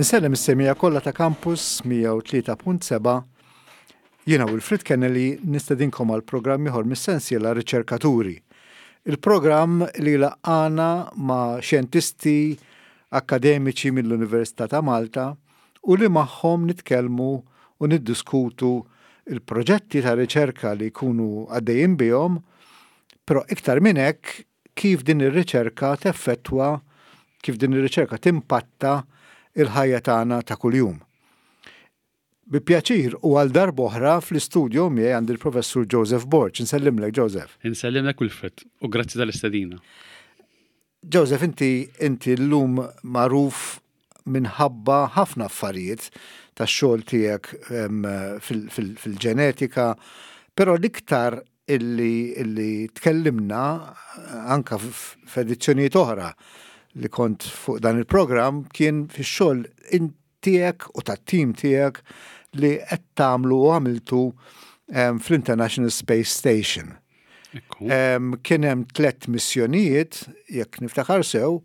Insellem is-semija kollha ta' Campus 103.7 Jiena Wilfrid Kennelly nistedinkom għal programm ieħor mis-sensiela Riċerkaturi. Il-programm li laqqana ma' xjentisti akkademiċi mill-Università ta' Malta u li magħhom nitkellmu u niddiskutu l-proġetti ta' riċerka li jkunu għaddejjin bihom, però iktar minn hekk kif din ir-riċerka teffettwa, kif din ir-riċerka timpatta l-ħajja tagħna ta' kuljum. Bi pjaċir u għal darb'oħra fl-istudio miegħi għandi l-Professur Joseph Borg. Insellimlek Joseph. Insellimlek Wilfred u grazzi tal-istedina. Joseph, inti inti llum magħruf minħabba ħafna affarijiet tax-xogħol tiegħek fil-ġenetika, però l-iktar illi illi tkellimna anka f'edizzjonijiet oħra li kont fuq dan il-programm kien fix-xogħol tiegħek u tat-tim tiegħek li qed tagħmlu u għamiltu fl-International Space Station. Kien hemm tlett missjonijiet, jekk niftakar sew,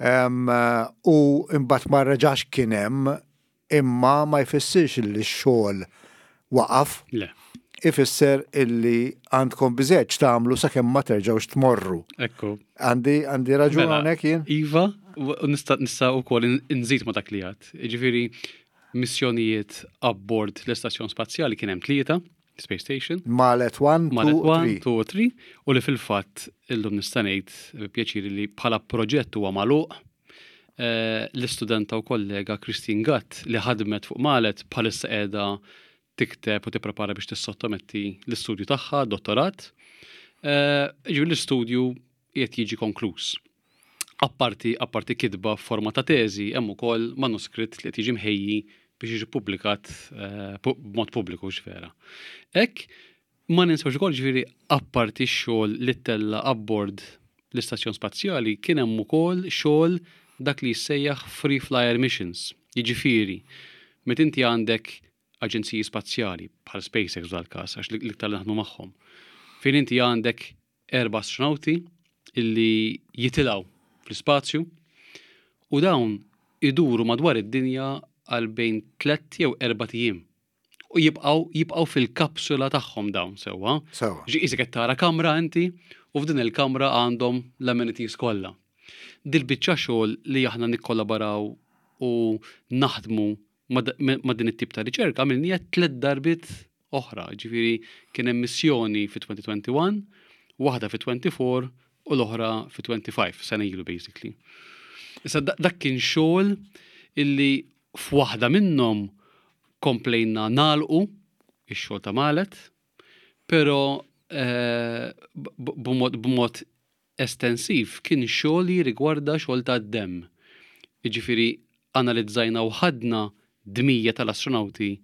u imbagħad ma reġax kien hemm imma ma jfissirx li x-xogħol waqaf. Le. Ifisser illi għandkom biżejjed x'tagħmlu sakemm ma terġgħux tmorru. Ekku. Għandi għandi raġun mela, hawnhekk jien? Iva, u nista' nista' wkoll inżid ma' dak li għad. Jiġifieri missjonijiet abbord l-istazzjon spazjali kien hemm tlieta, Space Station. Malet 1, 2, 3. 2 3 u li fil-fatt illum nista' ngħid bi pjaċir li bħala proġett huwa magħluq. Eh, l-istudenta u kollega Christine Gatt li ħadmet fuq Malet bħalissa qiegħda tikteb u tipprepara biex tissottometti l-istudju tagħha, dottorat. Eh, ġifieri l-istudju qiegħed jiġi konkluż. Apparti apparti kitba f'forma ta' teżi, hemm ukoll manuskritt li qed jiġi mħejji biex jiġi ppubblikat eh, b'mod pubbliku x'vera. Hekk ma ninsewx ukoll ġifieri apparti x-xogħol li ttella' abbord l-istazzjon spazjali kien hemm ukoll xogħol dak li jissejjaħ free flyer missions. Jiġifieri, meta inti għandek aġenziji spazjali bħal SpaceX f'dal-każ għax l-iktar li naħdmu magħhom, fejn inti għandek erba' astronawti illi jitilgħu fl-ispazju u dawn iduru madwar id-dinja għal bejn tlett jew erbat ijiem. U jibqgħu jibqgħu fil-kapsula tagħhom dawn sewwa. Sewwa. Ġi qisek qed tara kamra inti u f'din il-kamra għandhom l-amenities kollha. Dil-biċċa xogħol li aħna nikkollaboraw u naħdmu ma' din it-tip ta' riċerka għamilniha tlett darbiet oħra, ġifieri kien hemm missjoni fi 2021, waħda fi 24 u l-oħra fi 25, sena ilu basically. Issa dak kien xogħol illi f'waħda minnhom komplejna nagħlqu ix-xogħol ta' Malet, però eh, b'mod estensiv kien xogħol li jirrigwarda xogħol tad-demm. Jiġifieri analizzajna u ħadna dmija tal-astronawti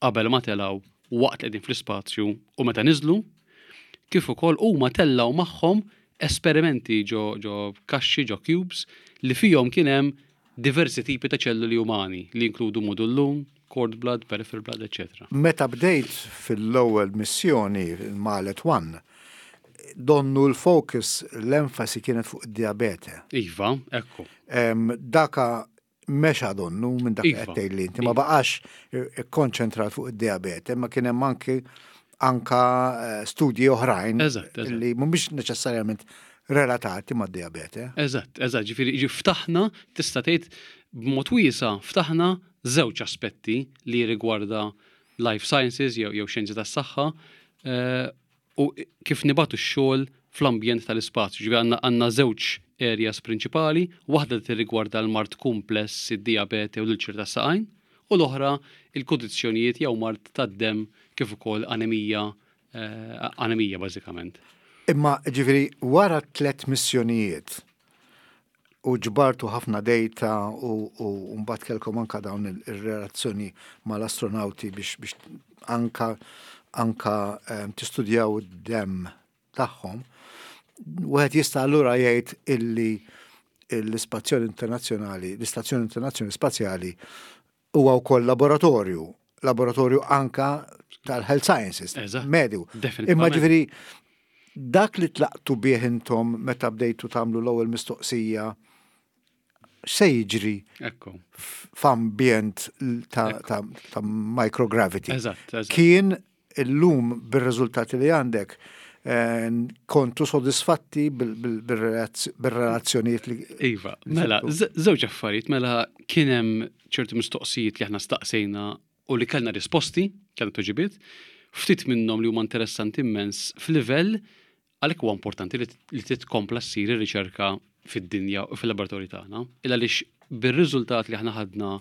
qabel ma telgħu, waqt li qegħdin fl-ispazju u meta niżlu, kif ukoll huma tellgħu magħhom esperimenti ġo ġo kaxxi, ġo cubes, li fihom kien hemm diversi tipi ta' ċelluli umani li jinkludu mudullun, cord blood, peripheral blood, eċċetera. Meta bdejt fil-ewwel missjoni, il-Malet One, donnu l-focus, l-enfasi kienet fuq id-dijabete. Iva, ekku. Daka mexa donnu minn dak li qed tgħidli inti, ma baqax ikkonċentrat fuq id-dijabete, ma kien hemm anki anka eh, studji oħrajn li mhumiex neċessarjament relatati mad-dijabete. Eżatt, eżatt, ġifieri ftaħna tista' tgħid b'mod wiesa' ftaħna żewġ aspetti li jirrigwarda life sciences jew jew xjenzi tas-saħħa eh, u kif nibatu x-xogħol fl-ambjent tal-ispazju. Ġifieri għandna għandna żewġ areas prinċipali, waħda li tirrigwarda l-mard kumpless, id-dijabete u l-ulċer tas-saqajn, u l-oħra il-kundizzjonijiet jew mard tad-demm kif ukoll anemija, eh, anemija bażikament. Imma ġifieri wara tlett missjonijiet u ġbartu ħafna data u mbagħad kellkom anka dawn ir-relazzjoni mal-astronawti biex biex anka anka ehm, tistudjaw id-demm tagħhom. Wieħed jista' allura jgħid illi l-ispazzjoni internazzjonali, l-istazzjoni internazzjonali spazjali huwa wkoll laboratorju, laboratorju anka tal-health sciences, mediu. Imma ġifieri dak li tlaqtu bih intom meta bdejtu tagħmlu l-ewwel mistoqsija. x'se jiġri f'ambjent ta' microgravity. Kien illum bir-riżultati li għandek eh, kontu sodisfatti bil-relazzjonijiet li. Iva, mela, żewġ affarijiet, mela kien hemm ċerti mistoqsijiet li aħna staqsejna u li kellna risposti, kellna tweġibiet, ftit minnhom li huma interessanti immens f'livell għalhekk huwa importanti li titkompla ssir ir-riċerka fid-dinja u fil-laboratorji tagħna. Il għaliex bir-riżultat li aħna ħadna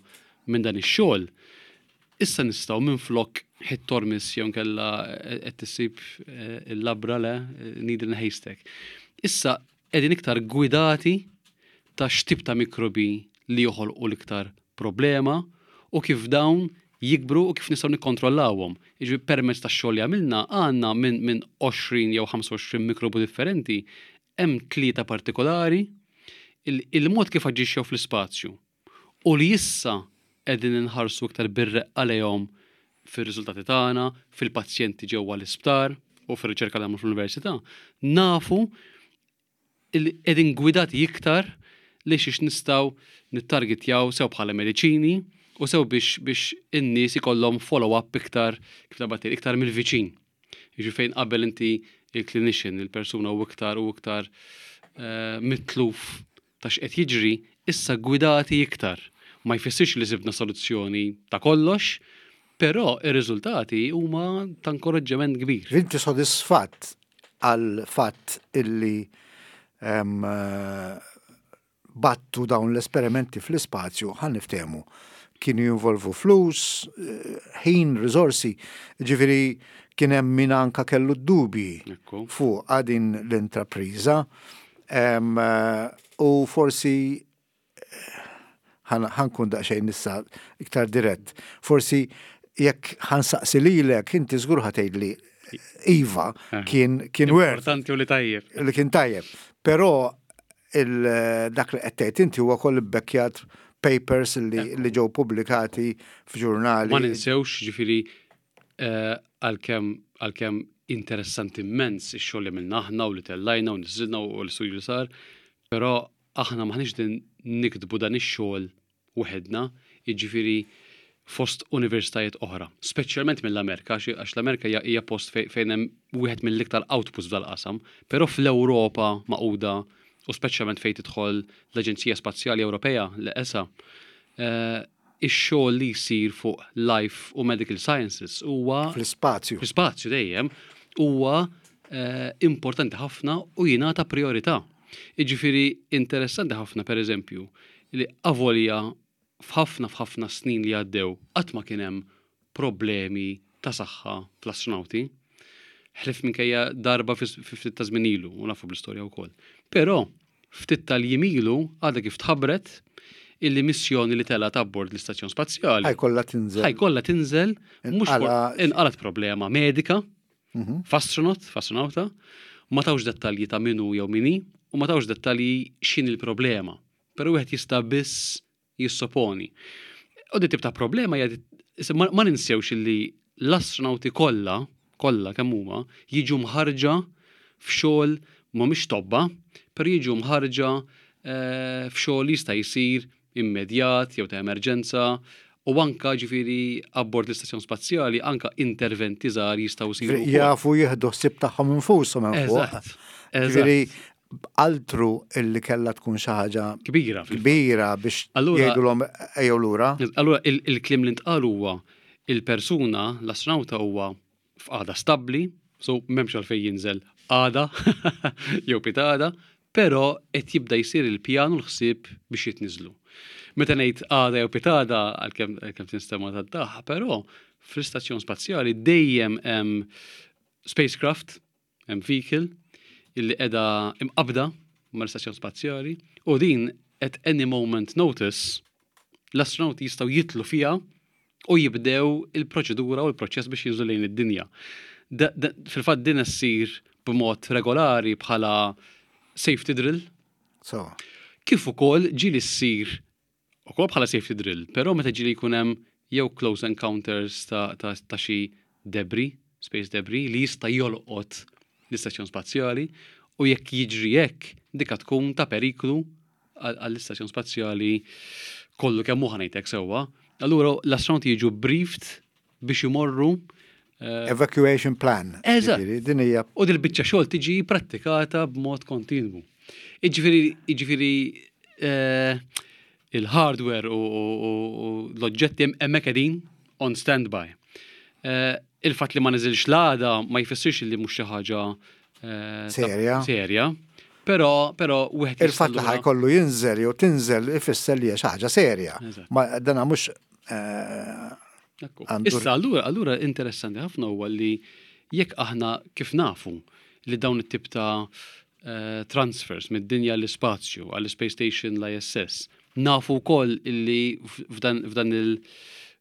minn dan ix-xogħol, issa nistgħu minflok hit or miss jew nkella qed tissib eh, il-labra le needle in haystack. Issa qegħdin iktar gwidati ta' x'tip ta' mikrobi li joħolqu l-iktar problema u kif dawn jikbru u kif nistgħu nikkontrollawhom. Jiġifieri permezz tax-xogħol li għamilna għandna minn min 20 jew 25 mikrobu differenti hemm tlieta partikolari il-mod kif aġixxew fl-ispazju u li issa qegħdin inħarsu iktar bir-reqqa lejhom fir-riżultati tagħna, fil-pazjenti ġewwa l-isptar u fir-riċerka li nagħmlu fl-università, nafu li qegħdin gwidati iktar li xiex nistgħu nittargetjaw sew bħala mediċini u sew biex biex in-nies ikollhom follow-up iktar kif taqbad tgħid iktar mill-viċin. Jiġifieri fejn qabel inti il-clinician, il-persuna u iktar u iktar eh, mitluf ta' x'qed jiġri, issa gwidati iktar. Ma jfissirx li sibna soluzzjoni ta' kollox, però ir-riżultati huma ta' inkoraġġiment kbir. Inti sodisfatt għal fatt illi battu dawn l-esperimenti fl-ispazju, ħa niftehmu, kienu jinvolvu flus, ħin, riżorsi, ġifieri kien hemm min anka kellu d-dubji fuq din l-intrapriża. U forsi ħankun daqsxejn issa iktar dirett. Forsi jekk ħansaqsi lilek inti żgur ħatgħidli iva eh. kien kien worth. Importanti u li tajjeb. Li kien tajjeb. Però dak li qed tgħid inti huwa koll ibbekkjat papers li, eh. li ġew pubblikati f'ġurnali. Ma ninsewx ġifieri eh, għalkemm għalkemm interessanti immens ix-xogħol li għamilna aħna u li tellajna u niżilna u l-istudju li sar, però aħna m'aħniex din niktbu dan ix-xogħol waħedna, jiġifieri fost universitajiet oħra, speċjalment mill-Amerika, għax l-Amerika hija post fejn hemm wieħed mill-iktar outputs f'dal-qasam, però fl-Ewropa magħquda u speċjalment fejn tidħol l-Aġenzija Spazjali Ewropea, l-ESA, eh, ix-xogħol li jsir fuq life u medical sciences huwa fl-ispazju. Fl-ispazju dejjem huwa eh, importanti ħafna u jingħata priorità. Jiġifieri interessanti ħafna pereżempju li avolja f'ħafna f'ħafna snin li għaddew qatt ma kien hemm problemi ta' saħħa fl-astronawti, ħlief minkejja darba fi ftit ta' żmien ilu, u nafu bl-istorja wkoll. Però ftit tal-jiem ilu għadha kif tħabbret illi missjoni li telgħet abbord l-istazzjon spazjali. Ħajkollha tinżel. Ħajkollha tinżel mhux inqalgħet problema medika mhm. f'astronaut, f'astronauta, ma tawx dettalji ta' minu jew mini u ma tawx dettalji x'in il-problema. Però wieħed jista' biss jissoponi. U di tip ta' problema hija ma ninsewx li l-astronauti kollha, kollha kemm huma, jiġu mħarġa f'xogħol mhumiex tobba, però jiġu mħarġa eh, f'xogħol li jista' jsir immedjat jew ta' emerġenza u anka ġifieri abbord l-istazzjon spazjali anka interventi żgħar jistgħu jsiru. Jafu jieħdu ħsieb tagħhom infushom hemm fuq. Ġifieri altru illi kellha tkun xi ħaġa kbira kbira biex jgħidulhom ejjew lura. Allura il-kliem li ntqal huwa il-persuna, l-astronawta huwa f'qagħda stabbli, so m'hemmx għalfejn jinżel għada jew pitgħada, però qed jibda jsir il-pjan u l-ħsieb biex jitniżlu. Meta ngħid għada jew pitgħada għalkemm tinstema' tad-daħ, però fl-istazzjon spazjali dejjem hemm spacecraft, hemm vehicle illi qiegħda imqabbda mal-istazzjon spazjali u din at any moment notice l-astronauti jistgħu jitlu fiha u jibdew il-proċedura u l-proċess biex jinżlu lejn id-dinja. Fil-fatt din issir b'mod regolari bħala safety drill. So. Kif ukoll ġieli ssir ukoll bħala safety drill, però meta ġieli jkun hemm jew close encounters ta', ta, ta xi debris, space debris, li jista' jolqot l-istazzjon spazjali u jekk jiġri hekk, dika tkun ta' periklu għall-istazzjon spazjali kollu kemm hu ħanejtek sewwa. Allura l-astronauti jiġu briefed biex imorru eh, Evacuation plan. Eżatt. Din hija. U dil-biċċa xogħol tiġi prattikata b'mod kontinwu. Iġifieri, jiġifieri eh, il-hardware u l-oġġetti hemmhekk qegħdin on standby. Eh, il-fatt li ma niżilx l-għada ma jfissirx li mhux xi ħaġa serja. Serja. Però, però wieħed Il-fatt li ħajkollu jinżel jew tinżel ifisser li hija xi ħaġa serja. Ma dana mhux Issa allura allura interessanti ħafna huwa li jekk aħna kif nafu li dawn it-tip ta' eh, transfers mid-dinja l-ispazju għall-Space Station l-ISS, nafu wkoll illi f'dan il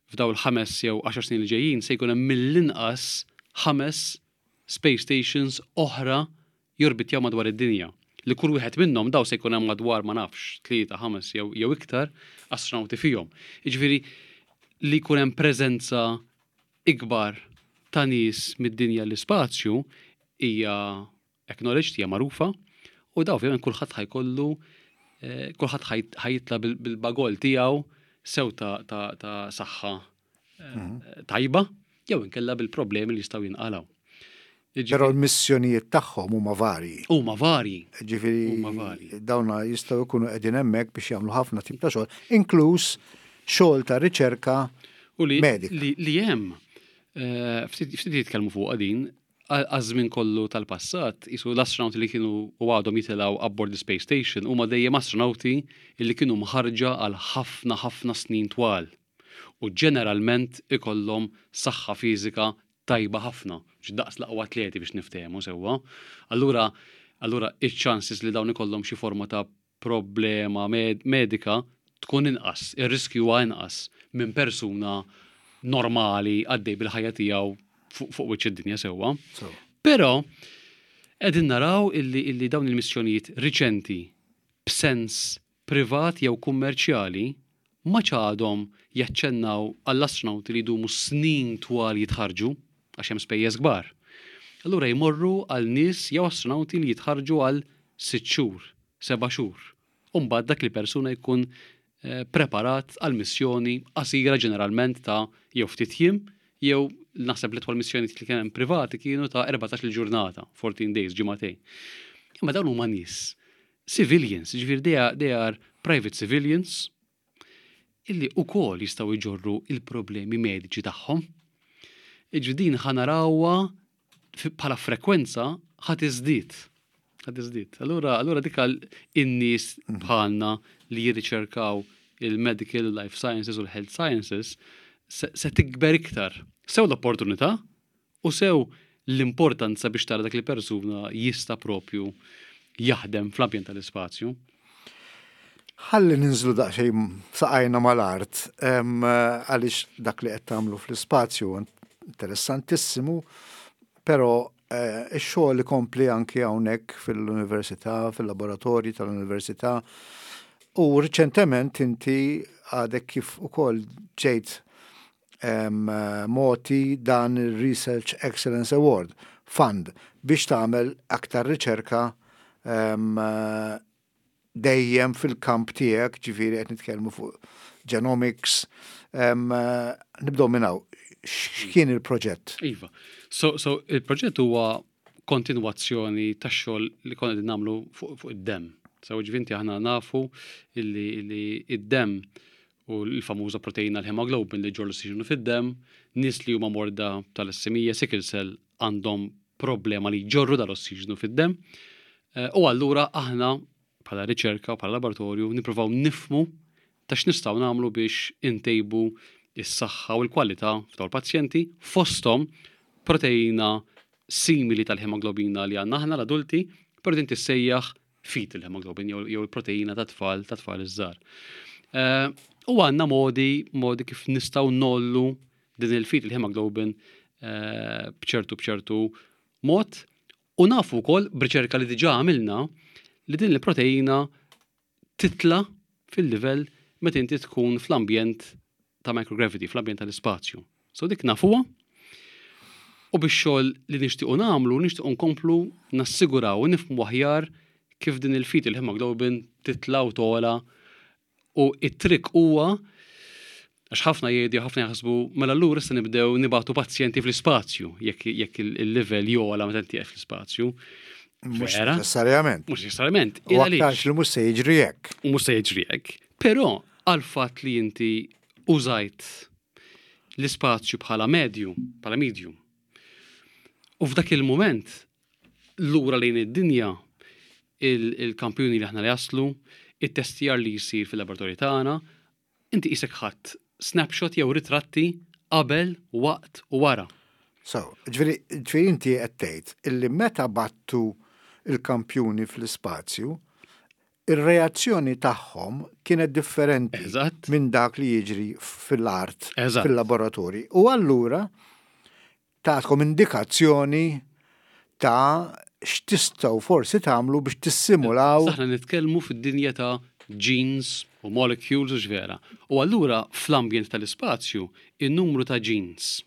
f'daw il-ħames jew 10 snin li ġejjin se jkun hemm mill-inqas ħames space stations oħra jorbitjaw madwar id-dinja, li kull wieħed minnhom daw se jkun hemm madwar ma nafx, tlieta, ħames jew jew iktar astronawti fihom. Jiġifieri li jkun hemm preżenza ikbar ta' nies mid-dinja l-ispazju hija acknowledged, hija magħrufa, u daw ovvjament kulħadd ħajkollu eh, kulħadd ħajitla bil-bagol tiegħu sew ta' ta' saħħa mhm. tajba jew inkella bil-problemi li jistgħu jinqalgħu. Però l-missjonijiet tagħhom huma varji. Huma varji. Ġifieri dawna jistgħu jkunu qegħdin hemmhekk biex jagħmlu ħafna tip ta' xogħol, inkluż xogħol ta' riċerka U li, li, li hemm eh, ftit jitkellmu fuq din għaż-żmien kollu tal-passat, jisu l-astronauti li kienu u għadhom jitilgħu abbord the Space Station huma dejjem astronauti li kienu mħarġa għal ħafna ħafna snin twal. U ġeneralment ikollhom saħħa fiżika tajba ħafna, mhux daqs l-aqwa atleti biex niftehmu sewwa. Allura, allura iċ-chances li dawn ikollhom xi forma ta' problema medika tkun inqas, ir-riskju huwa inqas minn persuna normali għaddej bil-ħajja tiegħu fuq wiċċ id-dinja sewwa. Però qegħdin naraw illi, illi dawn il-missjonijiet riċenti b'sens privat jew kummerċjali m'għadx għadhom jaċċennaw għall-astronawti li jdumu snin twal jitħarrġu, għax hemm spejjeż kbar. Allura jmorru għal nies jew astronawti li jitħarrġu għal sitt xhur, seba' xhur, u mbagħad dak il-persuna jkun preparat għal missjoni qasira ġeneralment ta' jew ftit jiem jew naħseb l-itwal missjonijiet li kien hemm privati kienu ta' 14-il ġurnata, 14 days, ġimagħtejn. Imma dawn huma nies civilians, ġifieri they are, they are private civilians illi ukoll jistgħu jġorru il-problemi mediċi tagħhom. Ġifieri din ħa narawha bħala frekwenza ħa tiżdied. Ħa tiżdied. Allura, allura dik in-nies mhm. bħalna li jirriċerkaw il-medical life sciences u l-health sciences se, se tikber iktar. Sew l-opportunità U sew l-importanza biex tara dak li persuna jista' propju jaħdem fl-ambjent tal-ispazju. Ħalli ninżlu daqsxejn saqajna mal-art għaliex dak li qed tagħmlu fl-ispazju interessantissimu, però eh, ix-xogħol ikompli anki hawnhekk fil-università, fil-laboratorji tal-università. U riċentement inti għadek kif ukoll ġejt mogħti dan il-Research Excellence Award Fund biex tagħmel aktar riċerka dejjem fil-kamp tiegħek, ġifieri qed nitkellmu fuq genomics. Nibdew minn hawn. X'kien il-proġett? Iva. So, so il-proġett huwa kontinwazzjoni tax-xogħol li konna qegħdin nagħmlu fuq fu id-demm. So ġifinti aħna nafu illi, illi id-demm u l-famuża proteina l-hemoglobin li ġorr l-ossiġenu fid-demm, nies li huma morda talassemija, sickle cell għandhom problema li jġorru dal-ossiġenu fid-demm. Eh, u allura aħna bħala riċerka u bħala laboratorju nippruvaw nifmu ta' x'nistgħu nagħmlu biex intejbu is-saħħa u l-kwalità f'dawn il-pazjenti fosthom proteina simili tal-hemoglobina li għandna aħna l-adulti, però din tissejjaħ fetal hemoglobin jew il-proteina ta' tfal ta' tfal iż-żgħar. Eh, u għandna modi modi kif nistgħu nollu din il-fetal hemoglobin eh, b'ċertu b'ċertu mod u nafu wkoll b'riċerka li diġà għamilna li din il-proteina titla fil-livell meta inti tkun fl-ambjent ta' microgravity, fl-ambjent tal-ispazju. So dik nafuha u bix-xogħol li nixtiequ nagħmlu, nixtiequ nkomplu nassiguraw u nifhmu aħjar kif din il-fetal hemoglobin titla' u togħla u it-trick huwa għax ħafna jgħidu ħafna jaħsbu mela allura issa nibdew nibagħtu pazjenti fl-ispazju jekk jekk il-livell jogħla meta inti fl-ispazju. Mhux neċessarjament. Mhux neċessarjament. U aktarx li mhux se jiġri hekk. U mhux se jiġri hekk. Però għal fatt li inti użajt l-ispazju bħala medju, bħala medium. U f'dak il-moment lura lejn id-dinja il-kampjuni li aħna li jaslu, it-testjar li jsir fil-laboratorju tagħna, inti qisek ħadd snapshot jew ritratti qabel, waqt u wara. So, ġifieri ġifieri inti qed tgħid illi meta battu il-kampjuni fl-ispazju, ir-reazzjoni tagħhom kienet differenti minn dak li jiġri fil-art, fil-laboratorji. U allura tagħtkom indikazzjoni ta' x'tistgħu forsi tagħmlu biex tissimulaw. Aħna nitkellmu fid-dinja ta' genes u molecules u x'vera. U allura fl-ambjent tal-ispazju, in-numru ta' genes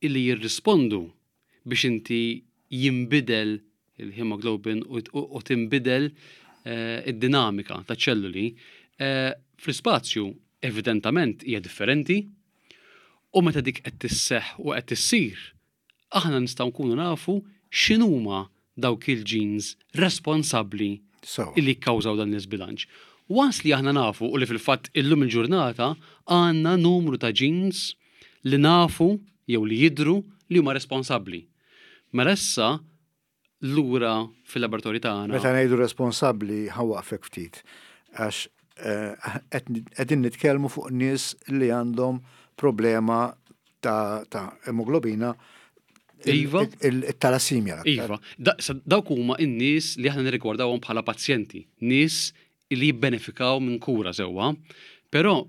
illi jirrispondu biex inti jinbidel il-hemoglobin u tinbidel eh, id-dinamika ta' ċelluli eh, fl-ispazju evidentament hija differenti u meta dik qed tisseħ u qed tissir, aħna nistgħu nkunu nafu x'inhuma dawk il-genes responsabbli illi kkawżaw dan l-iżbilanċ. Once li aħna nafu u li fil-fatt illum il-ġurnata għandna numru ta' genes li nafu jew li jidhru li huma responsabbli. Mela issa lura fil-laboratorju tagħna. Meta ngħidu responsabbli ħa waqfek ftit għax eh, qegħdin nitkellmu fuq nies li għandhom problema ta', ta emoglobina Iva. Il-talassimja. Iva. Dawk huma n-nies li aħna nirrigwardawhom bħala pazjenti, nies li jibbenefikaw minn kura sewwa, però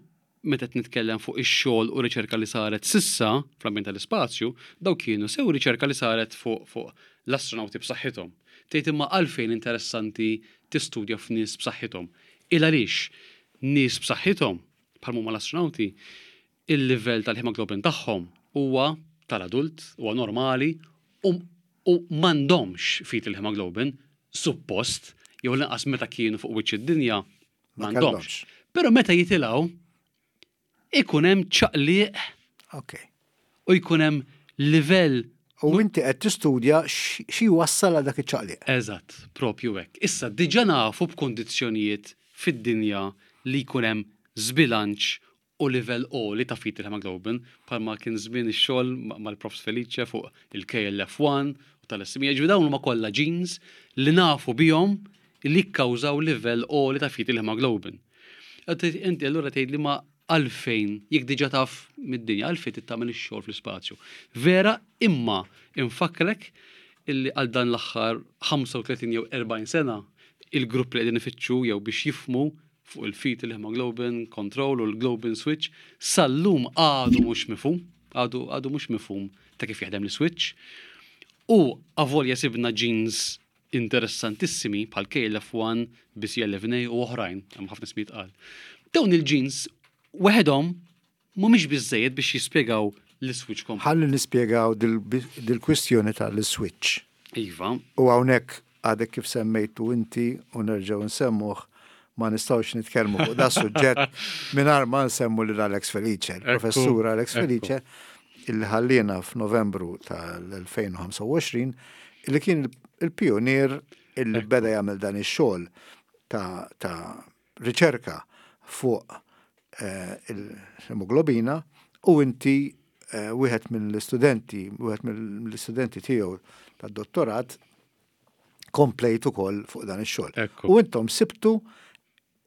meta qed nitkellem fuq ix-xogħol u riċerka li saret s'issa fl-ambjent tal-ispazju, dawk kienu sew riċerka li saret fuq fuq l-astronawti b'saħħithom. Tgħid imma għalfejn interessanti tistudja f'nies b'saħħithom? Il għaliex nies b'saħħithom, bħal huma l-astronawti, il-livell tal-hemoglobin tagħhom huwa tal-adult, huwa normali u u m'għandhomx fetal hemoglobin suppost jew l-inqas meta kienu fuq wiċċ id-dinja m'għandhomx. Però meta jitilgħu ikun hemm ċaqliq okay. u jkun hemm livell U inti qed tistudja xi wassal għal dak iċ-ċaqliq. Eżatt, propju hekk. Issa diġà nafu b'kundizzjonijiet fid-dinja li jkun hemm żbilanċ u livell għoli ta' fetal hemoglobin bħalma kien żmien ix-xogħol mal-Profs Felice fuq il-KLF1 u tal-SME. Ġifieri dawn huma kollha genes li nafu bihom li jikkawżaw livell għoli ta' fetal hemoglobin. Inti allura tgħid li ma għalfejn, jekk diġà taf mid-dinja, għalfejn trid tagħmel ix-xogħol fl-ispazju. Vera, imma infakkrek illi għal dan l-aħħar 35 jew 40 sena il-grupp li qegħdin ifittxu jew biex jifhmu fuq il-fetal hemoglobin control u l-globin switch sal-lum għadu mhux mifhum, għadu għadu mhux mifhum ta' kif jaħdem l-switch. U avolja sibna genes interessantissimi bħal KLF1, BCL11A u oħrajn, hemm ħafna ismijiet qal. Dawn il-genes weħedhom mhumiex biżejjed biex jispjegaw l-switch komplet. Ħalli nispjegaw dil-kwistjoni tal-switch. Iva. U hawnhekk għadek kif semmejtu inti u nerġgħu nsemmuh ma nistgħux nitkellmu fuq da suġġett mingħajr ma nsemmu lil Alex Felice, il-professur Alex Felice, illi ħallina f'Novembru tal-2025, illi kien il-pionier illi beda jagħmel dan ix-xogħol ta', ta riċerka fuq eh, il-hemoglobina u inti eh, wieħed mill-istudenti, wieħed mill-istudenti tiegħu tad-dottorat komplejt ukoll fuq dan ix-xogħol. U intom sibtu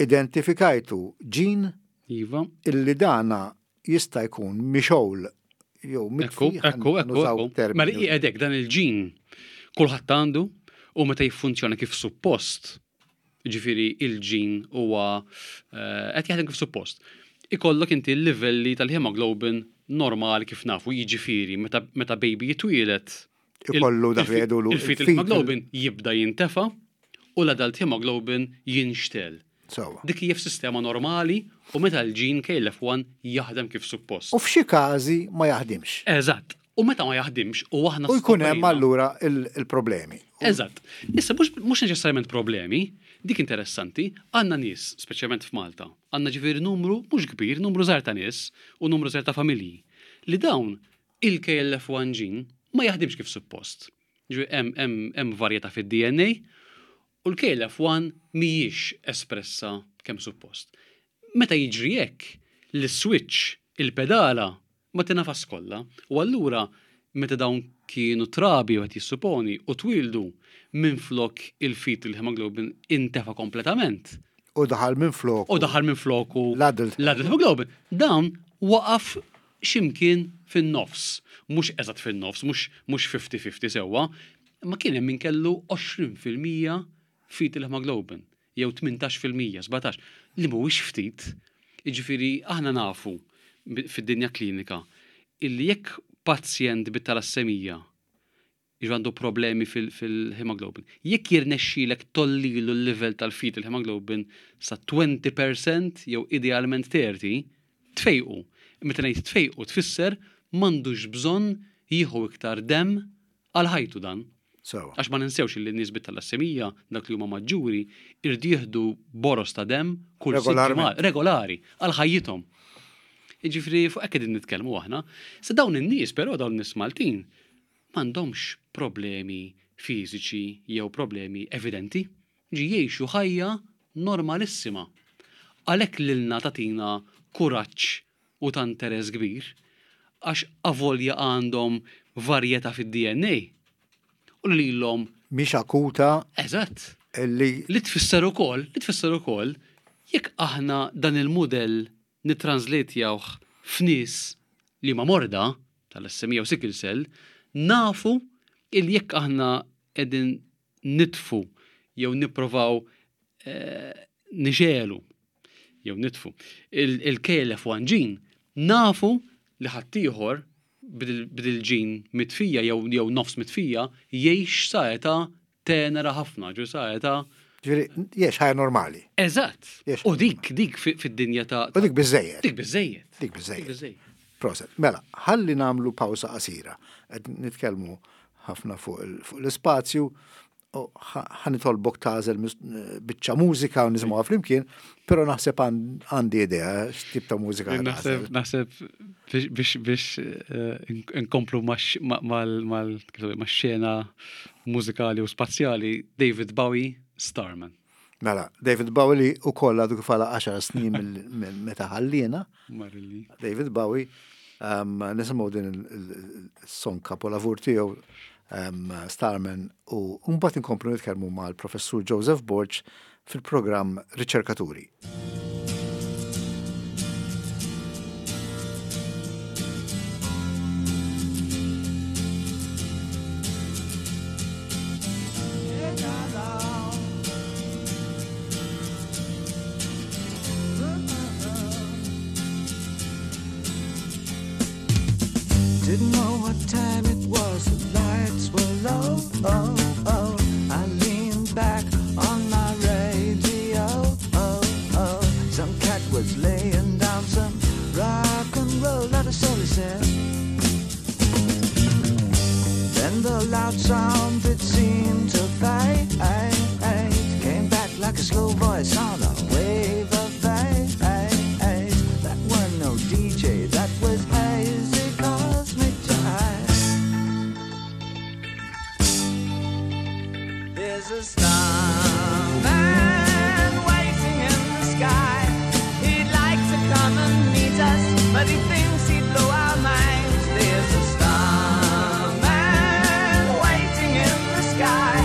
identifikajtu ġin iva. illi dana jista' jkun mixgħul jew mitfi. Ekku, ekku, ekku. Mela qiegħedek dan il-ġin kulħadd għandu u meta jiffunzjona kif suppost, ġifieri il-ġin huwa eh, qed jaħdem kif suppost. Ikollok inti l-livelli tal-hemoglobin normali kif nafu, jiġifieri meta, meta baby jitwielet Ikollu dak li jgħidulu. Il-fetal hemoglobin jibda jintefa u l-adult hemoglobin jinxtel. Sewa. Dik hija f'sistema normali u meta l-ġin KLF1 jaħdem kif suppost. U f'xi każi ma jaħdimx. Eżatt. U meta ma jaħdimx u aħna U jkun hemm allura il-problemi. Eżatt. Issa mhux neċessarjament problemi, Dik interessanti, għandna nies, speċjalment f'Malta, għandna ġifieri numru mhux kbir, numru żgħir ta' nies u numru żgħir ta' familji, li dawn il-KLF1 gene ma jaħdimx kif suppost. Ġifieri hemm hemm hemm varjetà fid-DNA u l-KLF1 mhijiex espressa kemm suppost. Meta jiġri hekk, l-iswitch, il-pedala, ma tingħafas kollha u allura meta dawn kienu trabi wieħed jissuponi u twieldu minflok il-fetal hemoglobin intefa' kompletament. U daħal minfloku. U daħal minfloku l-adult. L-adult hemoglobin. Dawn waqaf x'imkien fin-nofs. Mhux eżatt fin-nofs, mhux mhux 50-50 sewwa, imma kien hemm min kellu 20% fetal hemoglobin. jew 18%, 17, li mhuwiex ftit. Jiġifieri aħna nafu fid-dinja klinika illi jekk pazjent bit-talassemija jiġu għandu problemi fil-hemoglobin, jekk jirnexxilek tollilu l-livell tal-fetal hemoglobin sa 20% jew idealment 30, tfejqu. Meta ngħid tfejqu tfisser m'għandux bżonn jieħu iktar demm għal ħajtu dan. Sewwa. Għax ma ninsewx li n-nies bit-talassemija, dawk li huma maġġuri, irdu jieħdu boroż ta' demm kull sitt ġimgħat, regolari, għal ħajjithom. Jiġifieri fuq hekk qegħdin nitkellmu aħna. Sa dawn in-nies però dawn in-nies Maltin m'għandhomx problemi fiżiċi jew problemi evidenti. Ġi jgħixu ħajja normalissima. Għalhekk lilna tagħtina kuraġġ u ta' interess kbir għax avolja għandhom varjetà fid-DNA u li lilhom Mhix akuta. Eżatt. Li. Li tfisser ukoll, li tfisser ukoll jekk aħna dan il-mudell nittranżletjawh f'nies li huma morda, talassemija u sickle cell, nafu illi jekk aħna qegħdin nitfu jew nipprovaw nixegħlu jew nitfu il-KLF1 gene, nafu li ħaddieħor b'dil-ġin mitfija jew nofs mitfija jgħix sa età tenera ħafna, ġu sa età. Ġifieri, jgħix ħajja normali. Eżatt. U dik, dik fid-dinja ta' U dik biżżejjed. Dik biżżejjed. Dik biżżejjed. Proset. Mela, ħalli nagħmlu pawsa qasira. Qed nitkellmu ħafna fuq l-ispazju, u ħa nitolbok tagħżel biċċa mużika u nisimgħuha flimkien, però naħseb għandi idea x'tip ta' mużika ħa Naħseb naħseb biex biex eh, inkomplu max-xena mużikali u spazjali David Bowie Starman. Mela, David Bowie li wkoll għadu kif għalaq 10 snin minn meta ħalliena. Marilli. David Bowie, um, nisimgħu din il-song kapolavur tiegħu um, Starman u mbagħad inkomplu nitkellmu mal-Professur Joseph Borg fil-programm Riċerkaturi. Didn't know what time it was, the lights were low, oh, oh. I leaned back on my radio, oh, oh. Some cat was laying down some rock and roll, that is all he said. Then the loud sound it seemed to fade Came back like a slow voice on a wave of fate That were no DJ, that was hazy cosmic jive There's a starman waiting in the sky He'd like to come and meet us, but he thinks he'd blow our minds There's a starman waiting in the sky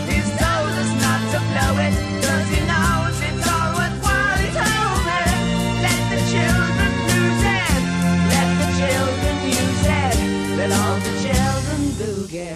He's told us not to blow it, cause he knows it's all worthwhile He told me, let the children lose it Let the children use it, let all the children boogie.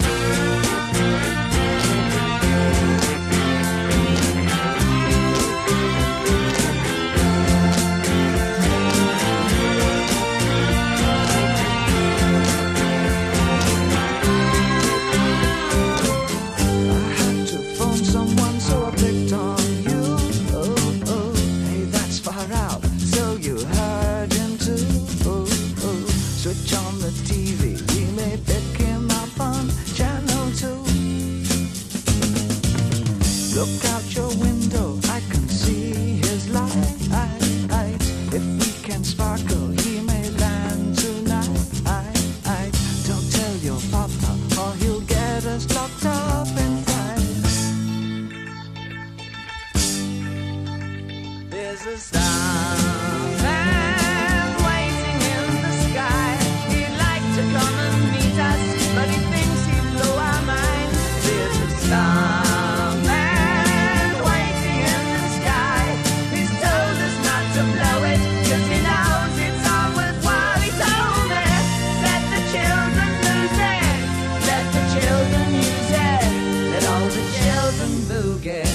a starman waiting in the sky. He'd like to come and meet us, but he thinks he'd blow our minds. There's a starman waiting in the sky. He's told us not to blow it, 'cause he knows it's all worthwhile. He told me, let the children lose it, let the children use it, let all the children boogie.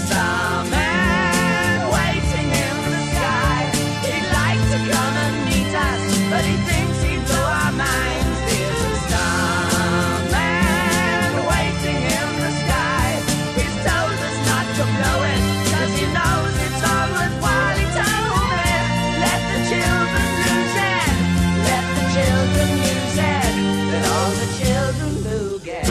Starman waiting in the sky. He'd like to come and meet us, but he thinks he'd blow our minds. There's a starman waiting in the sky. He's told us not to blow it, 'cause he knows it's all worthwhile. He told me, let the children lose it, let the children use it, let all the children boogie.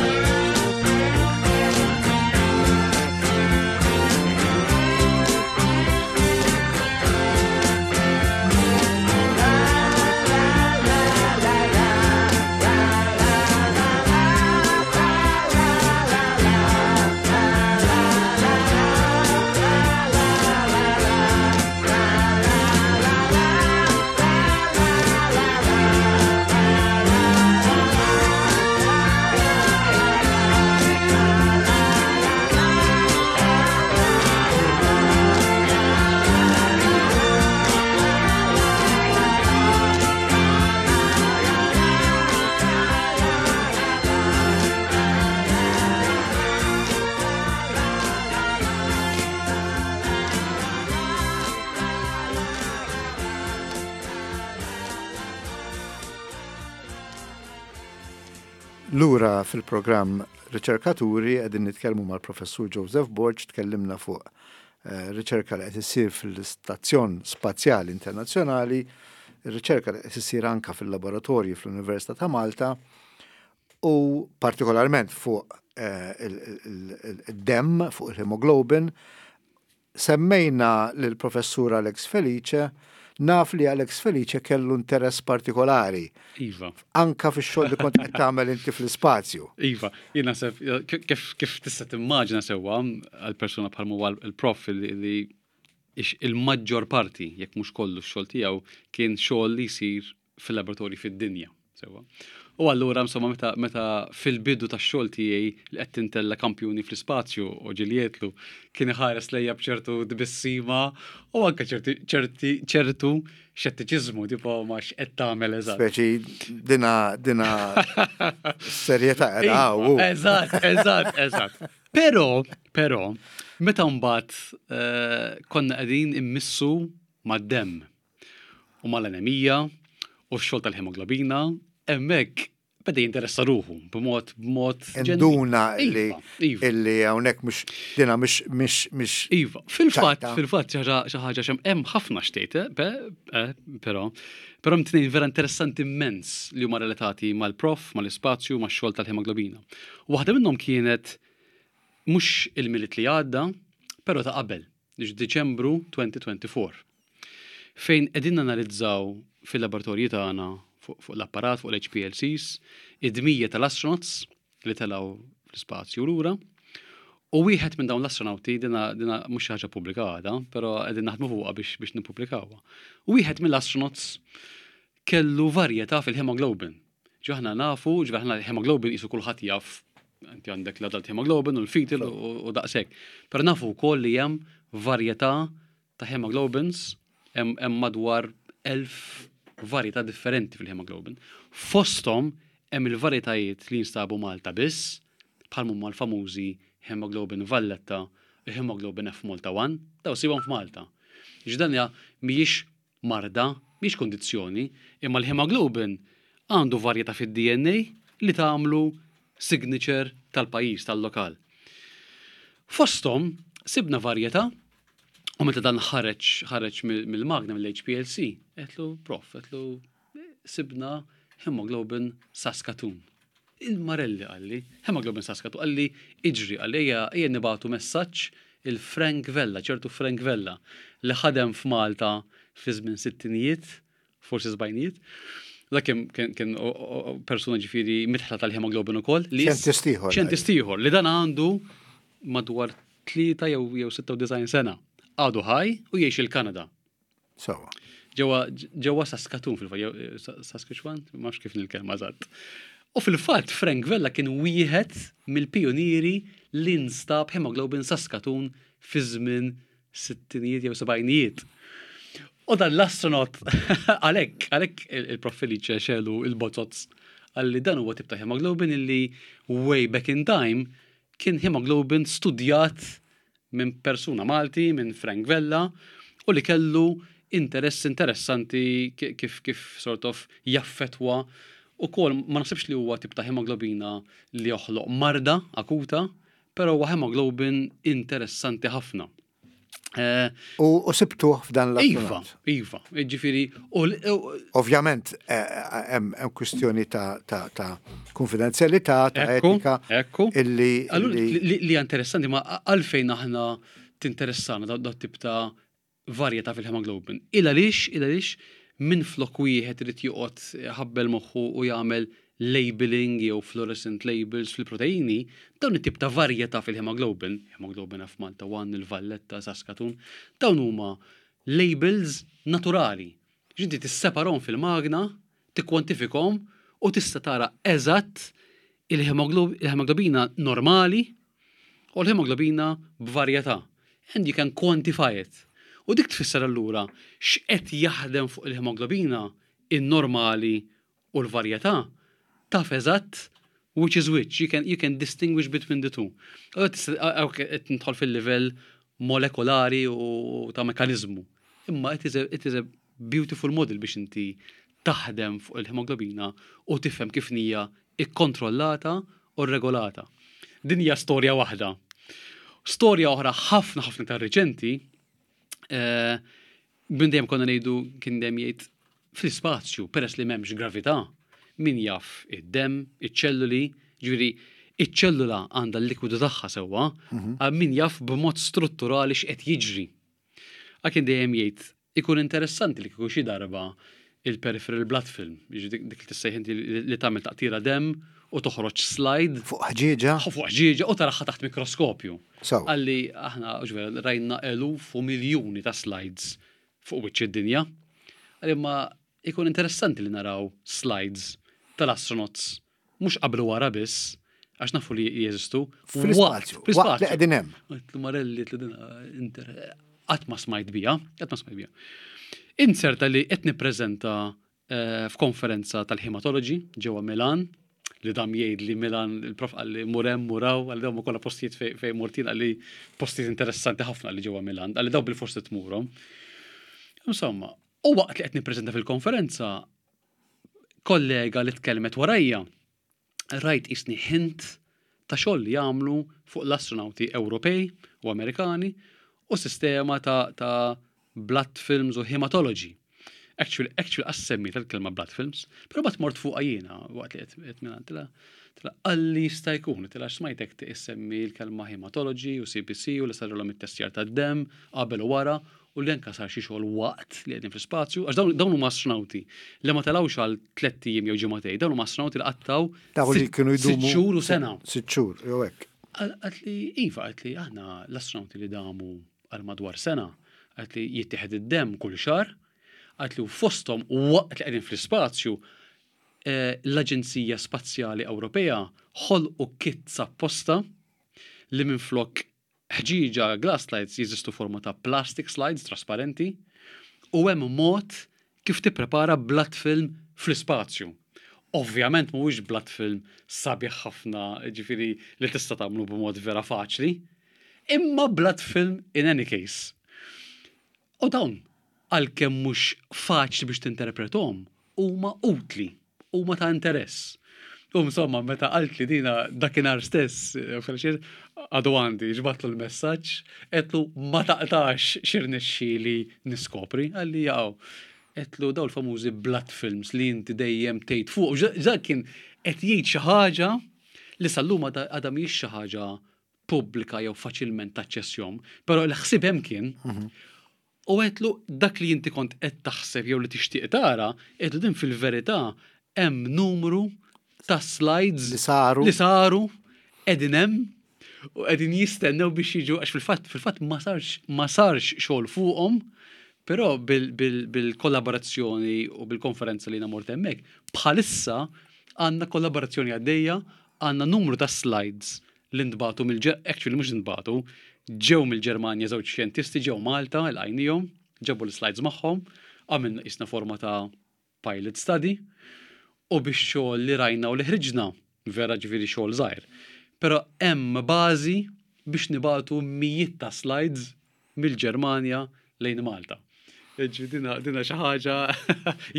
Lura fil-programm Riċerkaturi qegħdin nitkellmu mal-Professur Joseph Borg, tkellimna fuq eh, riċerka li qed issir fil-Istazzjon Spazjali Internazzjonali, riċerka li qed issir anka fil-laboratorji fl-Università ta' Malta u partikolarment fuq eh, il-demm, fuq il-hemoglobin. Semmejna lill-Professur Alex Felice, naf li Alex Felice kellu interess partikolari. Iva. Anka fix-xogħol li kont qed tagħmel inti fl-ispazju. Iva, jien naħseb kif, kif tista' timmaġina sewwa għal persuna bħal huwa l-prof li il-maġġor parti, jekk mhux kollu x-xogħol tiegħu, kien xogħol li jsir fil-laboratorji fid-dinja. Sewwa. U allura insomma meta, meta fil-bidu tax-xogħol tiegħi li qed tintella kampjuni fl-ispazju u ġiljetlu kien iħares lejja b'ċertu tbissima u anke ċerti ċerti ċertu xettiċiżmu tipo ma x'qed tagħmel eżatt. Speċi dina dina serjetà qiegħda hawn. Eżatt, eżatt, eżatt. Però, però, meta mbagħad eh, konna qegħdin immissu mad-demm u mal-anemija u x-xogħol tal-hemoglobina, hemmhekk beda jinteressa ruħu b'mod b'mod Induna li Iva, iva. illi hawnhekk mhux dina mhux mhux mhux Iva, fil-fatt, ċajta. fil-fatt xi ħaġa xem hemm ħafna xtejt, eh, pe- eh, però però hemm tnejn vera interessanti immens li huma relatati mal-prof, mal-ispazju, max-xogħol tal-hemoglobina. Waħda minnhom kienet mhux il-Milied li għadda, però ta' qabel, Diċembru 2024. Fejn qegħdin nanalizzaw fil-laboratorji tagħna fuq l-apparat, fuq l-HPLCs, id-dmija tal-astronauts li telgħu fl-ispazju lura. U wieħed minn dawn l-astronauti, dina, dina mhux xi ħaġa pubblika għadha, però qegħdin naħdmu fuqha biex, biex nippubblikawha. Wieħed mill-astronauts kellu varjetà fil-hemoglobin. Ġo aħna nafu, ġo aħna hemoglobin qisu kulħadd jaf, inti għandek l-adult hemoglobin u l-fetal u daqshekk. Però nafu wkoll li hemm varjetà ta' hemoglobins, hemm madwar 1000 varjetà differenti fil-hemoglobin. Fosthom hemm il-varjetajiet li jinstabu Malta biss, bħal huma l-famużi hemoglobin Valletta u hemoglobin F Malta 1, daw sibhom f'Malta. Ġdan mhijiex marda, mhix kondizzjoni, imma l-hemoglobin għandu varjetà fid-DNA li tagħmlu signature tal-pajjiż, tal-lokal. Fosthom sibna varjetà u meta dan ħareġ ħareġ mill-magna mill-HPLC, għedtlu prof, għedtlu sibna hemoglobin Saskatoon. Il-Marelli qalli, hemoglobin Saskatoon, qalli iġri, qalli ejja ejja nibagħtu messaġġ il-Frank Vella, ċertu Frank Vella, li ħadem f'Malta fi żmien sittinijiet, forsi sbajnijiet. Dak kien, kien, kien persuna ġifieri mitħla tal-hemoglobin ukoll. Li Xjentist ieħor. Xjentist ieħor li dan għandu madwar 3 jew jew 96 sena. Għadu ħaj u jgħix il-Kanada. Sewa. Ġewwa ġewwa Saskatoon fil-fatt, Saskatchewan, ma nafx kif nil-kelma eżatt. U fil-fatt Frank Vella kien wieħed mill-pijunieri li nstab hemoglobin Saskatoon fi żmien sittinijiet jew sebgħinijiet. U dan l-astronaut għalhekk għalhekk il-Prof Felice xelu il-bozoz għalli dan huwa tip ta' hemoglobin illi way back in time kien hemoglobin studjat minn persuna Malti, minn Frank Vella, u li kellu interess interessanti kif kif sort of jaffetwa ukoll ma naħsibx li huwa tip ta' hemoglobina li joħloq marda akuta, però huwa hemoglobin interessanti ħafna. Eh, u sibtuh f'dan l Iva, iva, ġifiri. Ovvjament, eh, eh, hemm kwistjoni ta' konfidenzjalità, ta' etika. Ekku. Illi. Li interessanti, ma għalfejn aħna tinteressana da tip ta' varjetà fil-hemoglobin. Il għaliex, il għaliex minn flok wieħed irid joqgħod ħabbel moħħu u jagħmel labeling jew fluorescent labels fil-proteini, dawn it-tip ta' varjetà fil-hemoglobin, hemoglobin F Malta 1, il-Valletta, Saskatoon, dawn huma labels naturali. Ġinti tisseparhom fil-magna, tikkwantifikhom u tista' tara eżatt il-hemoglobina normali u l-hemoglobina b'varjetà. And you can quantify it. U dik tfisser allura x'qed jaħdem fuq il-hemoglobina in-normali u l-varjetà taf eżatt which is which, you can, you can distinguish between the two. Qed nidħol fil-livell molekolari u ta' mekanizmu. Imma it is a, it is a beautiful model biex inti taħdem fuq il-hemoglobina u tifhem kif hija ikkontrollata u regolata. Din hija storja waħda. Storja oħra ħafna ħafna ta' riċenti, eh, minn dejjem konna ngħidu kien dejjem jgħid fl-ispazju peress li m'hemmx gravità, min jaf id-demm, iċ-ċelluli, ġifieri iċ-ċellula għandha l-likwidu tagħha sewwa, mhm. min jaf b'mod strutturali x'qed jiġri. Għal kien dejjem jgħid ikun interessanti li kieku xi darba il-peripheral blood film, dik li tissejħ inti li tagħmel taqtira demm u toħroġ slide. Fuq ħġieġa. Fuq ħġieġa u taraħħa taħt mikroskopju. Għalli aħna ġvera rajna eluf u miljuni ta' slides fuq wiċċ id-dinja. Għalli ma ikun interessanti li naraw slides tal-astronauts mhux qabel u wara biss, għax nafu li jeżistu. Fl-ispazju. Fl-ispazju. Li qegħdin hemm. Marelli qatt ma smajt bija, qatt ma smajt bija. Inserta li qed nippreżenta eh, f'konferenza tal-hematology ġewwa Milan, li dam jgħid li Milan il-prof qalli murem muraw għal dawn kollha postijiet fejn mortin qalli postijiet interessanti ħafna li ġewwa Milan, qalli daw bil-forsi tmurhom. Insomma, u waqt li qed nippreżenta fil-konferenza, kollega li tkellmet warajja, rajt isni hint ta' xogħol li jagħmlu fuq l-astronauti Ewropej u Amerikani u sistema ta', ta blood films u hematology. Actually, actually qas tal-kelma blood films, pero bat mort fuqa jiena waqt li qed minn tila tila qalli jista' jkun, tila smajtek tissemmi l-kelma hematology u CBC u li sarilhom it-testjar tad-demm qabel u wara u li anka sar xi xogħol waqt li qegħdin fl-ispazju, għax dawn huma astronauti li ma telgħux għal tlett ijiem jew ġimagħtejn, dawn huma astronauti li qattgħu Dawn li kienu jdumu sitt xhur u sena. Sitt xhur, jew hekk. Qaltli iva, qaltli aħna l-astronauti li damu għal madwar sena, qaltli jittieħed id-demm kull xahar, qaltli u fosthom waqt li qegħdin fl-ispazju eh, l-Aġenzija Spazjali Ewropea ħolqu kits apposta li minflok ħġieġa glass slides jeżistu forma ta' plastic slides trasparenti u hemm mod kif tipprepara blood film fl-ispazju. Ovvjament mhuwiex blood film sabiħ ħafna, ġifieri li tista' tagħmlu b'mod vera faċli, imma blood film in any case. U dawn, għalkemm mhux faċli biex tinterprethom, huma utli, huma ta' interess. U insomma, meta qaltli dina dakinhar stess, eh, għadu għandi, ġbatlu l-messaġġ, għedtlu ma taqtax x'irnexxieli niskopri, qalli jaqgħu. Għedtlu daw l-famużi blood films li inti dejjem tgħid fuq. Dak kien qed jgħid xi ħaġa li sal-lum għadha mhijiex xi ħaġa pubblika jew faċilment taċċessjom, però l-ħsieb hemm kien. Mhm. U għedtlu dak li inti kont qed taħseb jew li tixtieq tara, għedtlu din fil-verità hemm numru ta' slides li saru li saru qegħdin hemm. U qegħdin jistennew biex jiġu għax fil-fatt fil-fatt ma sarx ma sarx xogħol fuqhom, però bil-kollaborazzjoni u bil-konferenza li jiena mort hemmhekk, bħalissa għandna kollaborazzjoni għaddejja, għandna numru ta' slides li ntbagħtu mill actually mhux ntbagħtu, ġew mill-Ġermanja żewġ xjentisti ġew Malta, ilqajniehom, ġabu l-slides magħhom, għamilna qisna forma ta' pilot study u bix-xogħol li rajna u li ħriġna, vera ġifieri xogħol żgħir, però hemm bażi biex nibagħtu mijiet ta' slides mill-Ġermanja lejn Malta. Ġifieri dina, dina xi ħaġa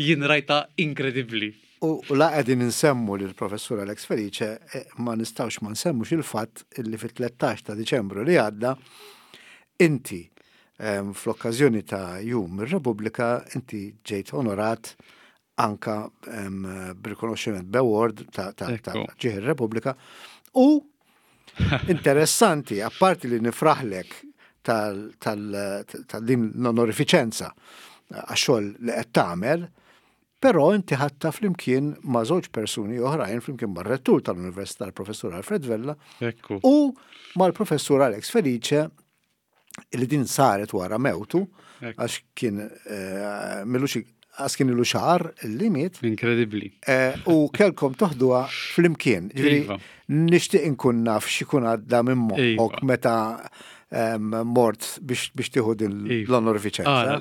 jien rajtha inkredibbli. U la qegħdin insemmu lill-Professur Alex Felice, eh, ma nistgħux ma nsemmux il-fatt li fit-13 ta' Diċembru li għadda inti Fl-okkażjoni ta' Jum ir-Repubblika inti ġejt onorat anka b'rikonoxximent b'award ta' ġieħ ir-Repubblika u interessanti, apparti li nifraħlek tal-din l-onorifiċenza għax-xogħol li qed tagħmel, però inti ħadtha flimkien ma' żewġ persuni oħrajn flimkien mar-rettur tal-Università l-Professur Alfred Vella u mal-Professur Alex Felice li din saret wara mewtu, għax kien eh, milux għax kien ilu xahar li miet. Inkredibbli. Eh, u kelkom toħduha flimkien. Ġifieri iva. nixtieq inkun naf x'ikun għadda minn moħħok iva. meta mort biex tieħu din iva. l-onorifiċenza.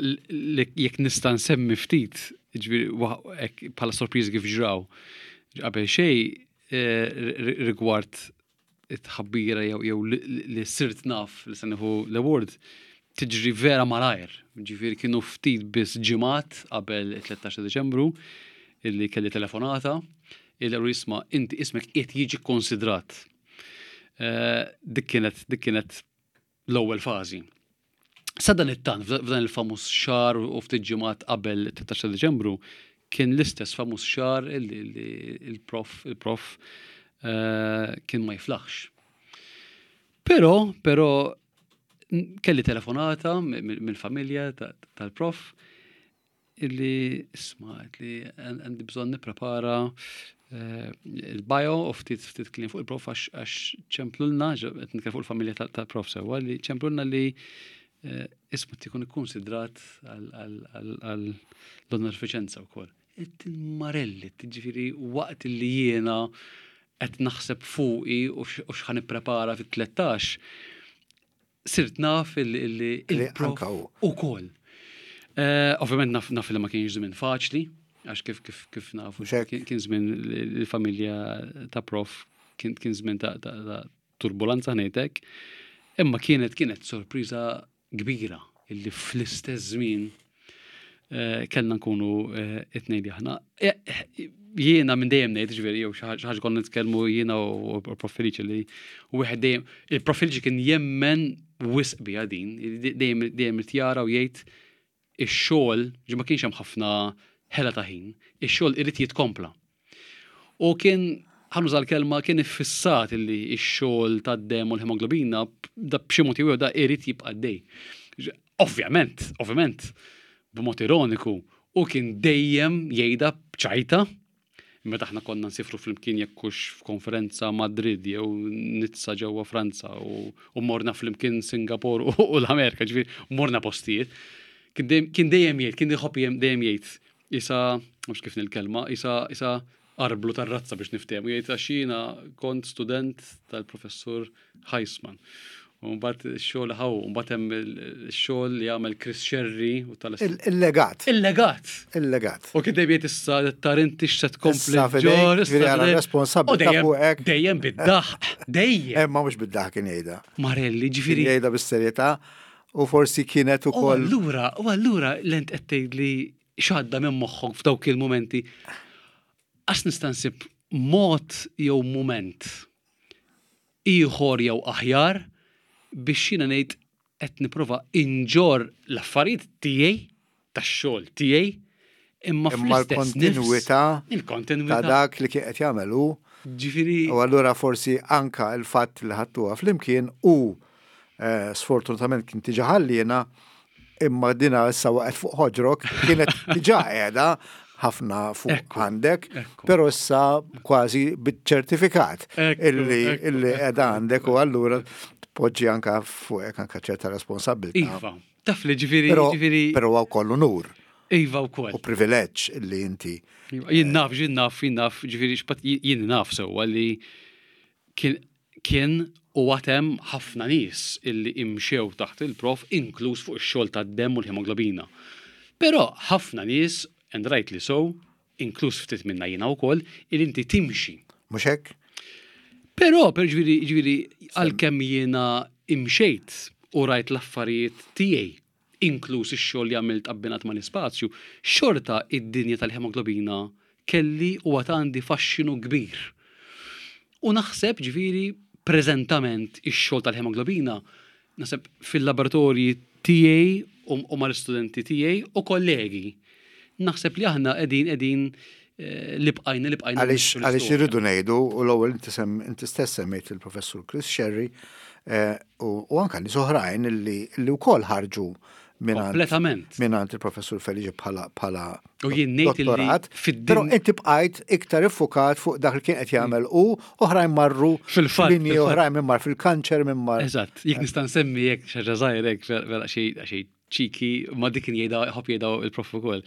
Jekk nista' nsemmi ftit, ġifieri bħala sorpriżi kif ġraw. Qabel xejn eh, rigward it-tħabbira jew li sirt naf li se nieħu l-award tiġri vera malajr. Ġifieri kienu ftit biss ġimgħat qabel it-13 ta' Diċembru illi kelli telefonata illi qalu isma' inti ismek qiegħed jiġi kkonsidrat. Eh, dik kienet dik kienet l-ewwel fażi. Sadanittant, f'dan il-famuż xahar u ftit ġimgħat qabel it-13 ta' Diċembru, kien l-istess famuż xahar li il-prof il-prof eh, kien ma jiflaħx. Però, però kelli telefonata mill-familja tal-prof illi isma' li għandi bżonn nipprepara eh, il-bio u ftit ftit kliem fuq il-prof għax ċemplulna, qed nitkellem fuq il-familja tal-prof sewwa li ċemplulna li eh, ismu tikun ikkonsidrat għal l-onorifiċenza wkoll. Marelli, ġifieri waqt li jiena qed naħseb fuqi u x'ħan nipprepara fit-13, sirt naf illi il-prof ukoll. Eh, ovvjament naf naf li ma kienx żmien faċli, għax kif kif kif nafu kien żmien il-familja ta' prof kien kien żmien ta' turbulenza ngħidlek. Imma kienet kienet sorpriża kbira illi fl-istess żmien eh, kellna nkunu eh, it-tnejn li aħna. Eh, jiena minn dejjem ngħid, ġifieri jew xi ħaġa konna nitkellmu jiena u Prof Felice li wieħed dejjem il-Prof Felice kien jemmen wisq biha din, dejjem dejjem jara u jgħid ix-xogħol, ġi ma kienx hemm ħafna ħela ta' ħin, ix-xogħol irid jitkompla. U kien ħa nuża l-kelma kien iffissat illi x-xogħol tad-demm u l-hemoglobina da b'xi mod jew da irid jibqa' dej. Ovvjament, ovvjament, b'mod ironiku, u kien dejjem jgħidha b'ċajta meta aħna konna nsifru flimkien jekk hux f'konferenza Madrid jew Nizza ġewwa Franza u morna flimkien Singapore u l-Amerika, ġifieri morna postijiet. Kien dejjem jgħid, kien iħobb dejjem jgħid Isa, mhux kif nil-kelma, isa, isa arblu tar-razza biex niftehmu, jgħid għax jiena kont student tal-professur Heisman. U mbagħad ix-xogħol ħaw, mbagħad hemm ix-xogħol li għamel Chris Sherry u tal Il-legat. Il-legat. Il-legat. U kien dejjem issa tar inti x'se tkompli ġor, issa responsabbli fuqek. Dejjem bid-daħq, dejjem. Imma mhux bid-daħq kien jgħidha. Marelli, ġifieri. Jgħidha bis-serjetà U forsi kienet ukoll. U allura, u allura l-ent qed tgħidli x'għadda minn moħħok f'dawk il-mumenti. Għax nista' nsib mod jew mument ieħor jew aħjar biex jiena ngħid qed nipprova inġorr l-affarijiet tiegħi tax-xogħol tiegħi imma fl-istess il-kontinwità il-kontinwità ta' dak li kien qed jagħmel hu. Ġifieri. U allura forsi anka l-fatt li ħadtuha flimkien u eh, sfortunatament kien tiġa ħalliena imma dina issa waqgħet fuq ħoġrok kienet diġà qiegħda. ħafna fuq għandek, però issa kważi biċ-ċertifikat illi illi qiegħda għandek u allura tpoġġi anka fuqek anka ċerta responsabilità. Iva, taf li ġifieri ġifieri. Però huwa wkoll unur. Iva wkoll. U privileġġ illi inti. Iva, jien naf, jien naf, jien naf, ġifieri jien naf sewwa li kien kien u għad hemm ħafna nies illi imxew taħt il-prof inkluż fuq ix-xogħol tad-demm u l-ħemoglobina. Però ħafna nies, and rightly so, inkluż ftit minna jiena wkoll, illi inti timxi. Mhux hekk? Però, per ġifieri, ġifieri, għalkemm jiena imxejt u rajt l-affarijiet tiegħi, inkluż ix-xogħol li għamilt abbinat mal-ispazju, xorta id-dinja tal-ħemoglobina kelli u għad għandi faxxinu kbir. U naħseb, ġifieri, preżentament ix-xogħol tal-ħemoglobina, naħseb fil-laboratorji tiegħi u mal-istudenti tiegħi u kollegi, naħseb li aħna qegħdin qegħdin eh, li bqajna li bqajna. Għaliex għaliex irridu ngħidu u l-ewwel inti stess semmejt il-Professur Chris Sherry eh, u anke nies oħrajn li wkoll ħarġu Kompletament. Minant il-professur Felice bħala bħala U jien ngħid dottorat. Però inti bqajt iktar iffukat fuq dak li kien qed jagħmel u oħrajn marru fil-fatt linji oħrajn minn mar fil-kanċer minn mar. Eżatt, jekk nista' nsemmi jekk xi ħaġa żgħira hekk vera xi xi ċiki ma dik kien jgħidha ħobb jgħidha il-prof ukoll.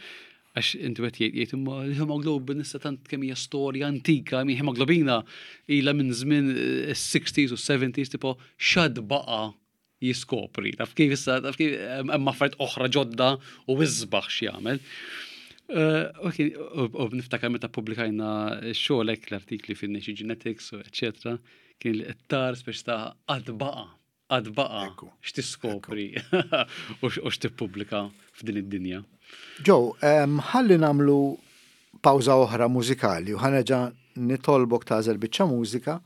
Għax inti qed jgħid jgħid imma l-hemoglobin issa tant kemm hija storja antika, mi hemoglobina ilha minn żmien is-60s u 70s tipo x'għad baqa' jiskopri. Taf kif issa, taf kif hemm affarijiet oħra ġodda u isbaħ x'jagħmel. Eh, u niftakar meta pubblikajna x-xogħol hekk l-artikli fin-Nature Genetics u eċetera, kien li qed speċi ta' għad baqa' għad baqa' x'tiskopri u x'tippubblika f'din id-dinja. Joe, ħalli nagħmlu pawża oħra mużikali u ħa nerġa' nitolbok tagħżel biċċa mużika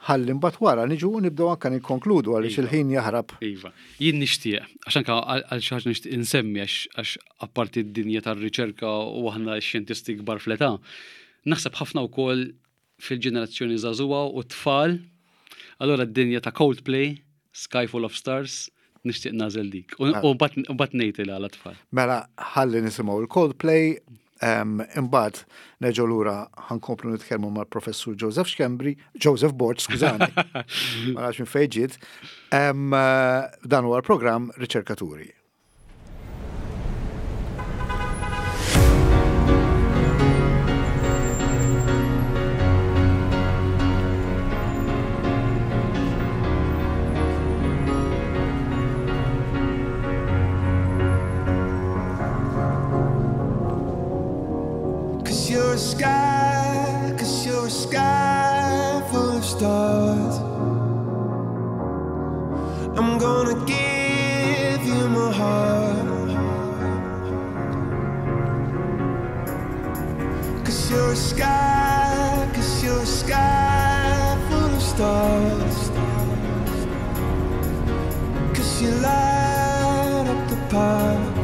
ħalli mbagħad wara niġu u nibdew anke nikkonkludu għaliex iva. il-ħin jaħrab. Iva. Jien nixtieq, għax anke għal xi ħaġa nixtieq insemmi għax apparti d-dinja tar-riċerka u aħna x-xjentisti kbar fl-età, naħseb ħafna wkoll fil-ġenerazzjoni żagħżugħa u t-tfal. Allura d-dinja ta' Coldplay, Sky Full of Stars, nixtieq nagħżel dik. U mbagħad ngħid il għala tfal. Mela ħalli nisimgħu il-Coldplay, imbagħad nerġgħu lura ħankomplu nitkellmu mal-Professur Joseph Schembri, Joseph Borg, skużani. Ma nafx minn fejn ġiet. Dan huwa l-programm Riċerkaturi. Cause you're a sky, cause you're a sky full of stars. I'm gonna give you my heart. Cause you're a sky, cause you're a sky full of stars. Cause you light up the path.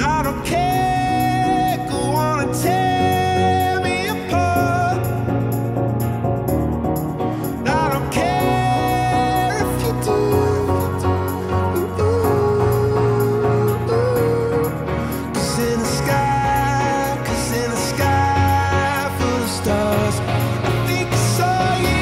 I don't care, go on and tear me apart. I don't care if you do. Cause in the sky, cause in the sky full of stars, I think I saw you.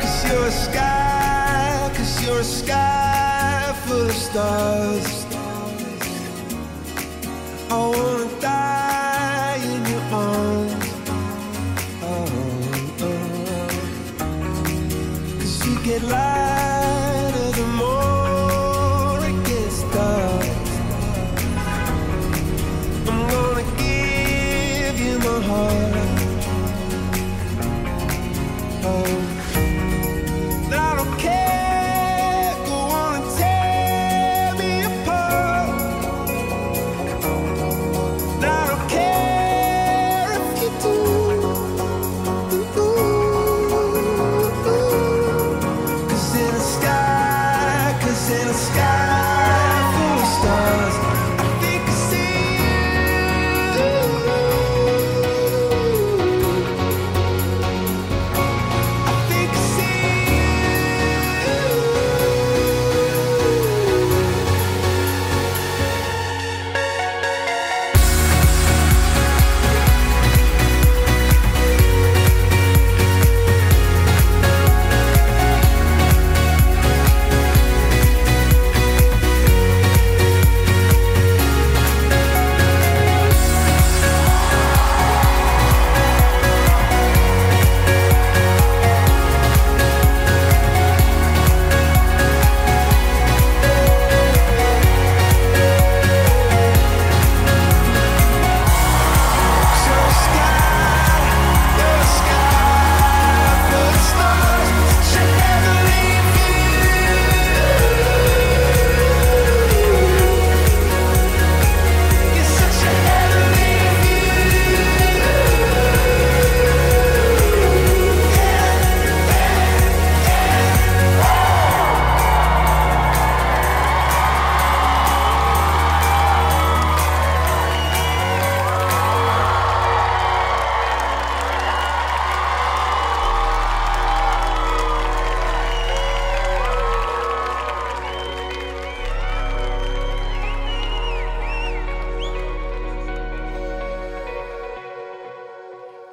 Cause you're a sky, cause you're a sky full of stars. I wanna die in your arms. Oh, oh. Cause you get lighter the more it gets dark. I'm gonna give you my heart. Oh. I don't care, go on and tear me apart.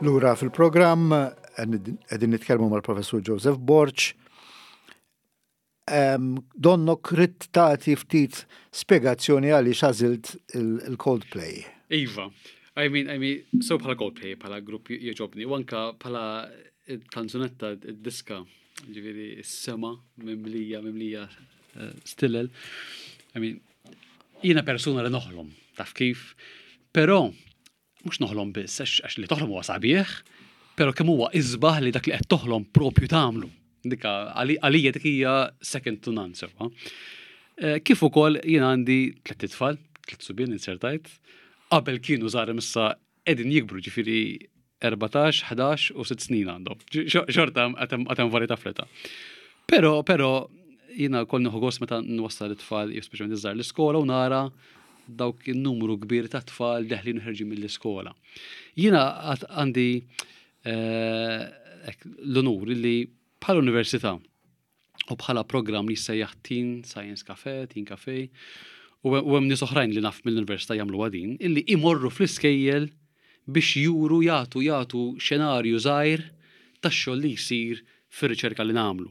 Lura fil-programm qegħdin nitkellmu mal-Professur Joseph Borg. Donnok ridt tagħti ftit spjegazzjoni għaliex għażilt il-Coldplay. Iva. I mean, I mean, so bħala Coldplay, bħala grupp jogħġobni, u anka bħala kanzunetta diska, ġifieri s-sema mimlija, mimlija eh, stillel. I mean, jiena persuna li noħlom, taf kif, però mhux noħlom biss, għax li toħlom huwa sabiħ, però kemm huwa isbaħ li dak li qed toħlom propju tagħmlu. Dika għalija dik hija second to none sewwa. Eh, kif ukoll jien għandi tliet itfal, tliet subien insertajt, qabel kienu żgħar issa qegħdin jikbru ġifieri 14, 11 u 6 snin għandhom. Xorta għatem varjetà fl-età. Però, però, jiena kol nieħu gost meta nwassal it-tfal, jew speċjalment iż-żgħar l-iskola u nara dawk in-numru kbir ta' tfal deħlin u ħerġin mill-iskola. Jiena għandi eh, l-onur li bħala università u bħala programm li jissejjaħ Teen Science Cafe, Teen Cafe, u hemm nies oħrajn li naf mill-università jagħmlu din, illi imorru fl-iskejjel biex juru jagħtu jagħtu xenarju żgħir tax-xogħol li jsir fir-riċerka li nagħmlu.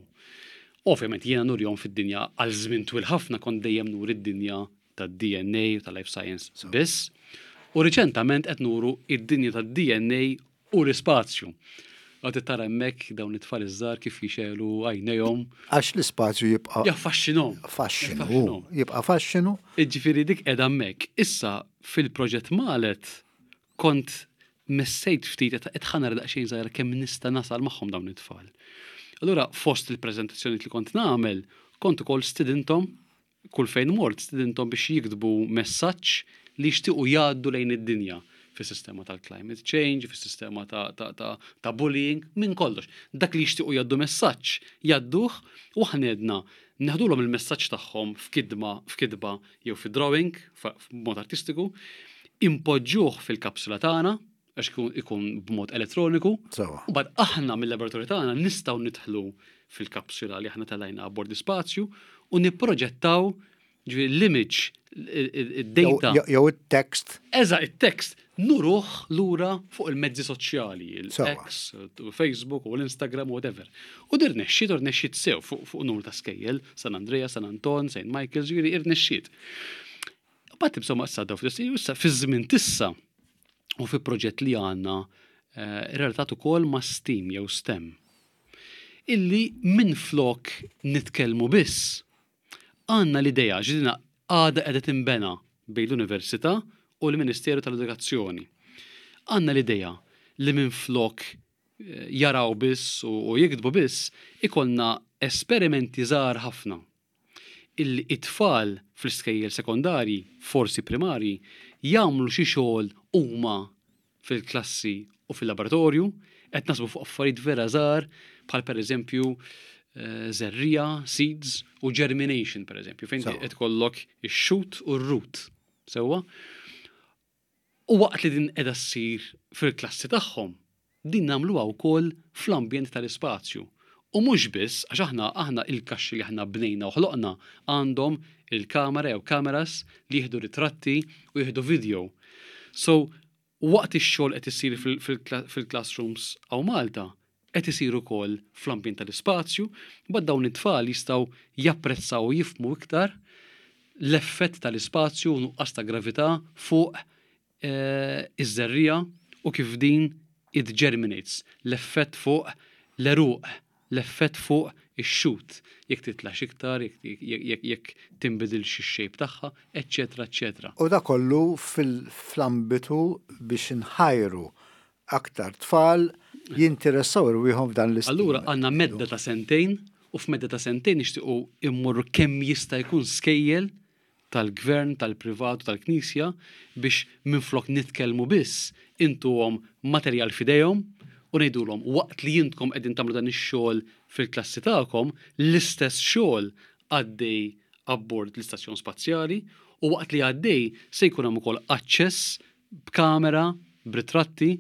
Ovvjament jiena nurihom fid-dinja għal żmien twil ħafna kont dejjem nuri d-dinja tad-DNA u tal-life science biss. U riċentament qed nuru id-dinja tad-DNA u l-ispazju. Għad tara hemmhekk dawn it-tfal iż-żgħar kif jixelu għajnejhom. Għax l-ispazju jibqa' Jaffaxxinhom. Faxxinu. Jibqa' faxxinu. Jiġifieri dik qiegħda hemmhekk. Issa fil-proġett Malet kont messejt ftit qed ħa nara daqsxejn żgħira kemm nista' nasal magħhom dawn it-tfal. Allura fost il-preżentazzjoni li kont nagħmel, kont ukoll stidinthom kull fejn mort stidinthom biex jiktbu messaġġ li jixtiequ jgħaddu lejn id-dinja fis-sistema tal-climate change, fis-sistema ta', ta, ta, ta bullying, minn kollox. Dak li jixtiequ jgħaddu messaġġ, jgħadduh u aħna għedna neħdulhom il-messaġġ tagħhom f'kidma, f'kitba jew fi drawing, f'mod artistiku, impoġġuh fil-kapsula tagħna, għax ikun b'mod elettroniku. U bad aħna mill-laboratorju tagħna nistgħu nidħlu fil-kapsula li aħna telajna abbord l-ispazju u nipproġettaw ġifieri l-image, id-data. Jew it-text. Eża, it-text nuruh lura fuq il-mezzi soċjali, il-X, Facebook u l-Instagram, whatever. U dir nexxiet, u rnexxiet sew fuq numru ta' skejjel, San Andrea, San Anton, St. Michael, ġifieri irnexxiet. Bat insomma issa daw issa fi żmien tissa u fi proġett li għandna eh, relatat ukoll ma' STEAM jew STEM. Illi minn flok nitkellmu biss għandna l-idea ġdina għada qiegħda tinbena bejn l-Università u l-Ministeru tal-Edukazzjoni. Għandna l-idea li minn flok eh, jaraw biss u jiktbu biss ikollna esperimenti żgħar ħafna illi it-tfal fl-iskejjel sekondarji, forsi primarji, jagħmlu xi xogħol huma fil-klassi u fil-laboratorju, qed nasbu fuq affarijiet vera żgħar bħal pereżempju eh, żerriegħa, seeds u germination pereżempju, fejn qed ikollok ix-shoot u r-root. Sewwa? U waqt li din qiegħda ssir fil-klassi tagħhom, din nagħmluha wkoll fl-ambjent tal-ispazju. U mhux biss, għax aħna aħna il-kaxxi li aħna bnejna u ħloqna għandhom il-kamera jew cameras li jieħdu ritratti u jieħdu video. So, waqt ix-xogħol qed isir fil-classrooms hawn Malta, qed isir ukoll fl-ambjent tal-ispazju, mbagħad dawn it-tfal jistgħu japprezzaw u jifhmu iktar l-effett tal-ispazju u nuqqas ta' gravità fuq eh, iż-żerriegħa u kif din it germinates, l-effett fuq l-għeruq, l-effett fuq ix-shoot, jekk titlax iktar, jekk tinbidilx ix-shape tagħha, eċċetera, eċċetera. U da kollu fl-ambitu biex nħajru aktar tfal jinteressaw irwieħhom f'dan l Allura għandna medda ta' sentejn u f'medda ta' sentejn nixtiequ immorru kemm jista' jkun skejjel tal-gvern, tal-privat u tal-knisja biex minflok nitkellmu biss intuhom materjal f'idejhom u ngħidulhom waqt li intkom qegħdin tagħmlu dan ix-xogħol fil-klassi tagħkom, l-istess xogħol għaddej abbord l-istazzjon spazjali u waqt li għaddej se jkun hemm ukoll aċċess b'kamera, b'ritratti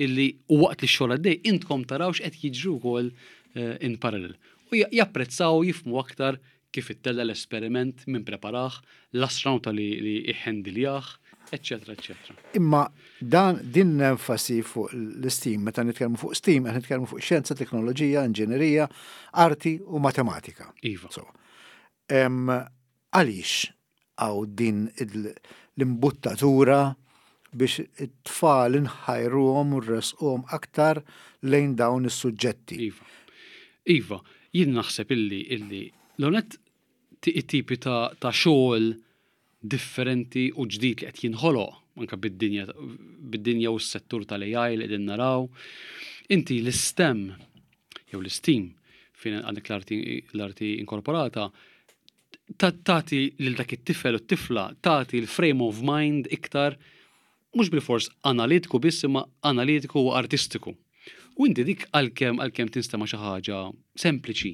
illi u waqt li x-xogħol għaddej intkom taraw x'qed jiġri wkoll eh, in parallel. U japprezzaw jifhmu aktar kif ittella l-esperiment min preparah, l-astronauta li, li iħendiljah, eċċetera, eċċetera. Imma dan din l-enfasi fuq l-STEAM, meta nitkellmu fuq STEAM, qed nitkellmu fuq xjenza, teknoloġija, inġinerija, arti u matematika. Iva. So, għaliex hawn din l-imbuttatura biex it-tfal inħajruhom u nressquhom aktar lejn dawn is-suġġetti? Iva. Iva, jien naħseb illi illi l-onet it-tipi ta', ta xogħol differenti u ġdid li qed jinħoloq anke bid-dinja bid-dinja u s-settur tal-AI li qegħdin naraw. Inti l-STEM jew l-STEAM fejn għandek l-arti inkorporata tagħti lil dak it-tifel u t-tifla tagħti l-frame of mind iktar mhux bilfors analitiku biss imma analitiku u artistiku. U inti dik għalkemm għalkemm tinstema' xi ħaġa sempliċi,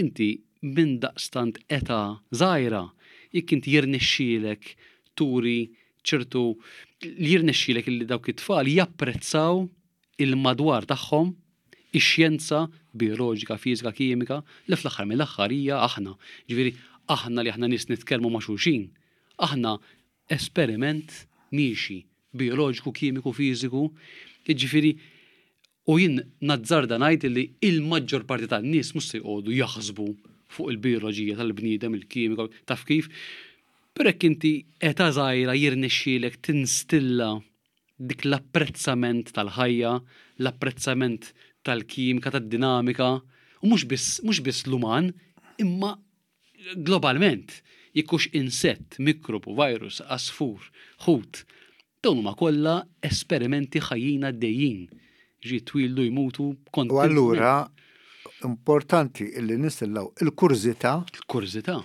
inti minn daqstant età żgħira jekk inti jirnexxielek turi ċertu li jirnexxielek li dawk it-tfal japprezzaw il-madwar tagħhom, ix-xjenza bijoloġika, fiżika, kimika, li fl-aħħar mill-aħħar hija aħna. Ġifieri aħna li aħna nies nitkellmu ma' xulxin, aħna esperiment miexi, bijoloġiku, kimiku, fiżiku, jiġifieri u jien nazzarda ngħid li il-maġġor parti tan-nies mhux se jqogħdu jaħsbu fuq il-bijoloġija tal-bniedem, il-kimika, taf kif. Però jekk inti età żgħira jirnexxielek tinstilla dik l-apprezzament tal-ħajja, l-apprezzament tal-kimika, tad-dinamika, u mhux biss mhux biss l-uman, imma globalment, jekk hux insett, mikrobu, virus, għasfur, ħut, dawn huma kollha esperimenti ħajjin għaddejjin. Ġi jitwieldu, jmutu U allura importanti illi nistillaw il-kurżità. Il-kurżità.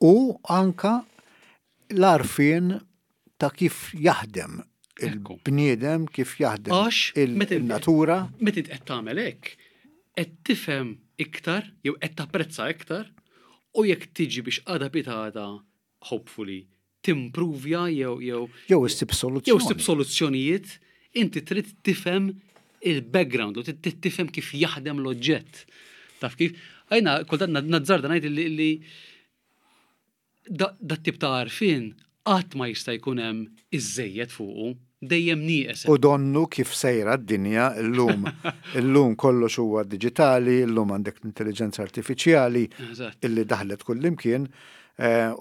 U anka l-għarfien ta' kif jaħdem il-bniedem, kif jaħdem il-natura. Meta int qed tagħmel hekk, qed tifhem iktar jew qed tapprezza iktar u jekk tiġi biex għada pitgħada hopefully timpruvja jew jew jew issib soluzzjoni. Jew issib soluzzjonijiet, inti trid tifhem il-background u trid tifhem kif jaħdem l-oġġett. Taf kif? Għajna, kultant nazzarda ngħid li Dat-tip ta' għarfien qatt ma jista' jkun hemm iżżejjed fuqu, dejjem nieqes hemm. U donnu kif sejra d-dinja llum. Illum kollox huwa diġitali, illum għandek l-intelliġenza artifiċjali illi daħlet kullimkien,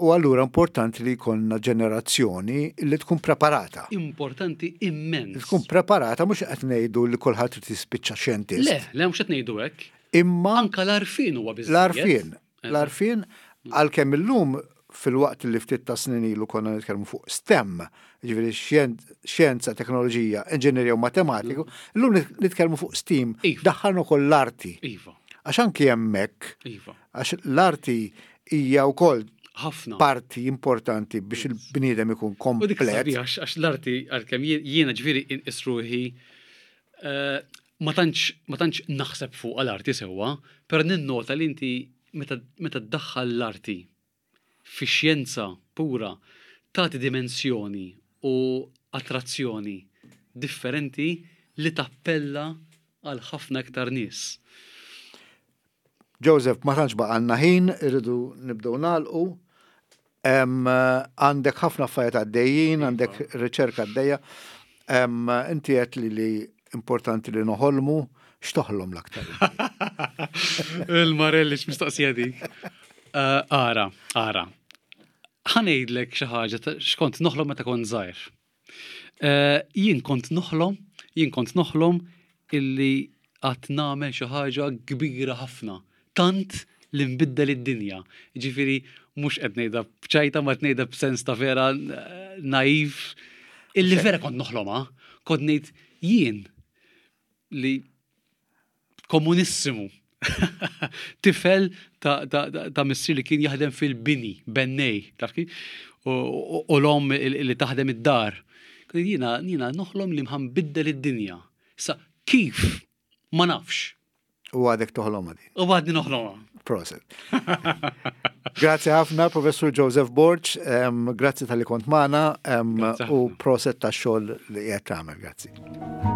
u allura importanti li jkollna ġenerazzjoni li tkun preparata. Importanti immens. Li tkun preparata mhux qed ngħidu li kulħadd irid jispiċċa xjentist. Le, le mhux qed ngħidu hekk. Imma anke l-għarfien huwa biżżejjed. L-għarfien. L-għarfien, għalkemm illum filwaqt li ftit ta' snin ilu konna nitkellmu fuq STEM, ġifieri xjenza, teknoloġija, inġinerija u matematiku, mm. illum nitkellmu fuq STEAM, iva. daħħalna wkoll l-arti. Iva. Għax anki hemmhekk, iva. għax l-arti hija wkoll ħafna parti importanti biex il-bniedem ikun komplet. Għax l-arti għalkemm jiena ġifieri inqisruħi eh, Ma tantx ma tantx naħseb fuqha l-arti sewwa, però ninnota li inti meta meta ddaħħal l-arti fix-xjenza pura tagħti dimensjoni u attrazzjoni differenti li tappella għal ħafna iktar nies. Joseph, ma tantx baqgħalna ħin, irridu nibdew nagħlqu. Għandek ħafna affarijiet għaddejjin, iva. għandek riċerka għaddejja. Inti qed li li importanti li noħolmu, x'toħlom l-aktar? Il-Marelli x'mistoqsija dik. Eh, ara, ara. Ħanejdlek xi ħaġa x'kont noħlom meta kont żgħir. Eh, jien kont noħlom, jien kont noħlom illi għat nagħmel xi ħaġa kbira ħafna, tant li nbiddel id-dinja. Ġifieri mhux qed ngħidha b'ċajta ma qed ngħidha b'sens ta' vera eh, naiv illi vera kont noħlomha, kont ngħid jien li komunissimu. Tifel ta', ta, ta, ta missier li kien jaħdem fil-bini, bennej, taf kif? U l-om li taħdem id-dar. Jiena, jiena noħlom li mħambiddel id-dinja. Sa kif? Ma nafx. U għadek toħlomha din. U għadni noħlomha. Proset. Grazzi ħafna, Professur Joseph Borg, grazzi tal-li kont magħna u proset tax-xogħol li qed tagħmel. Grazzi.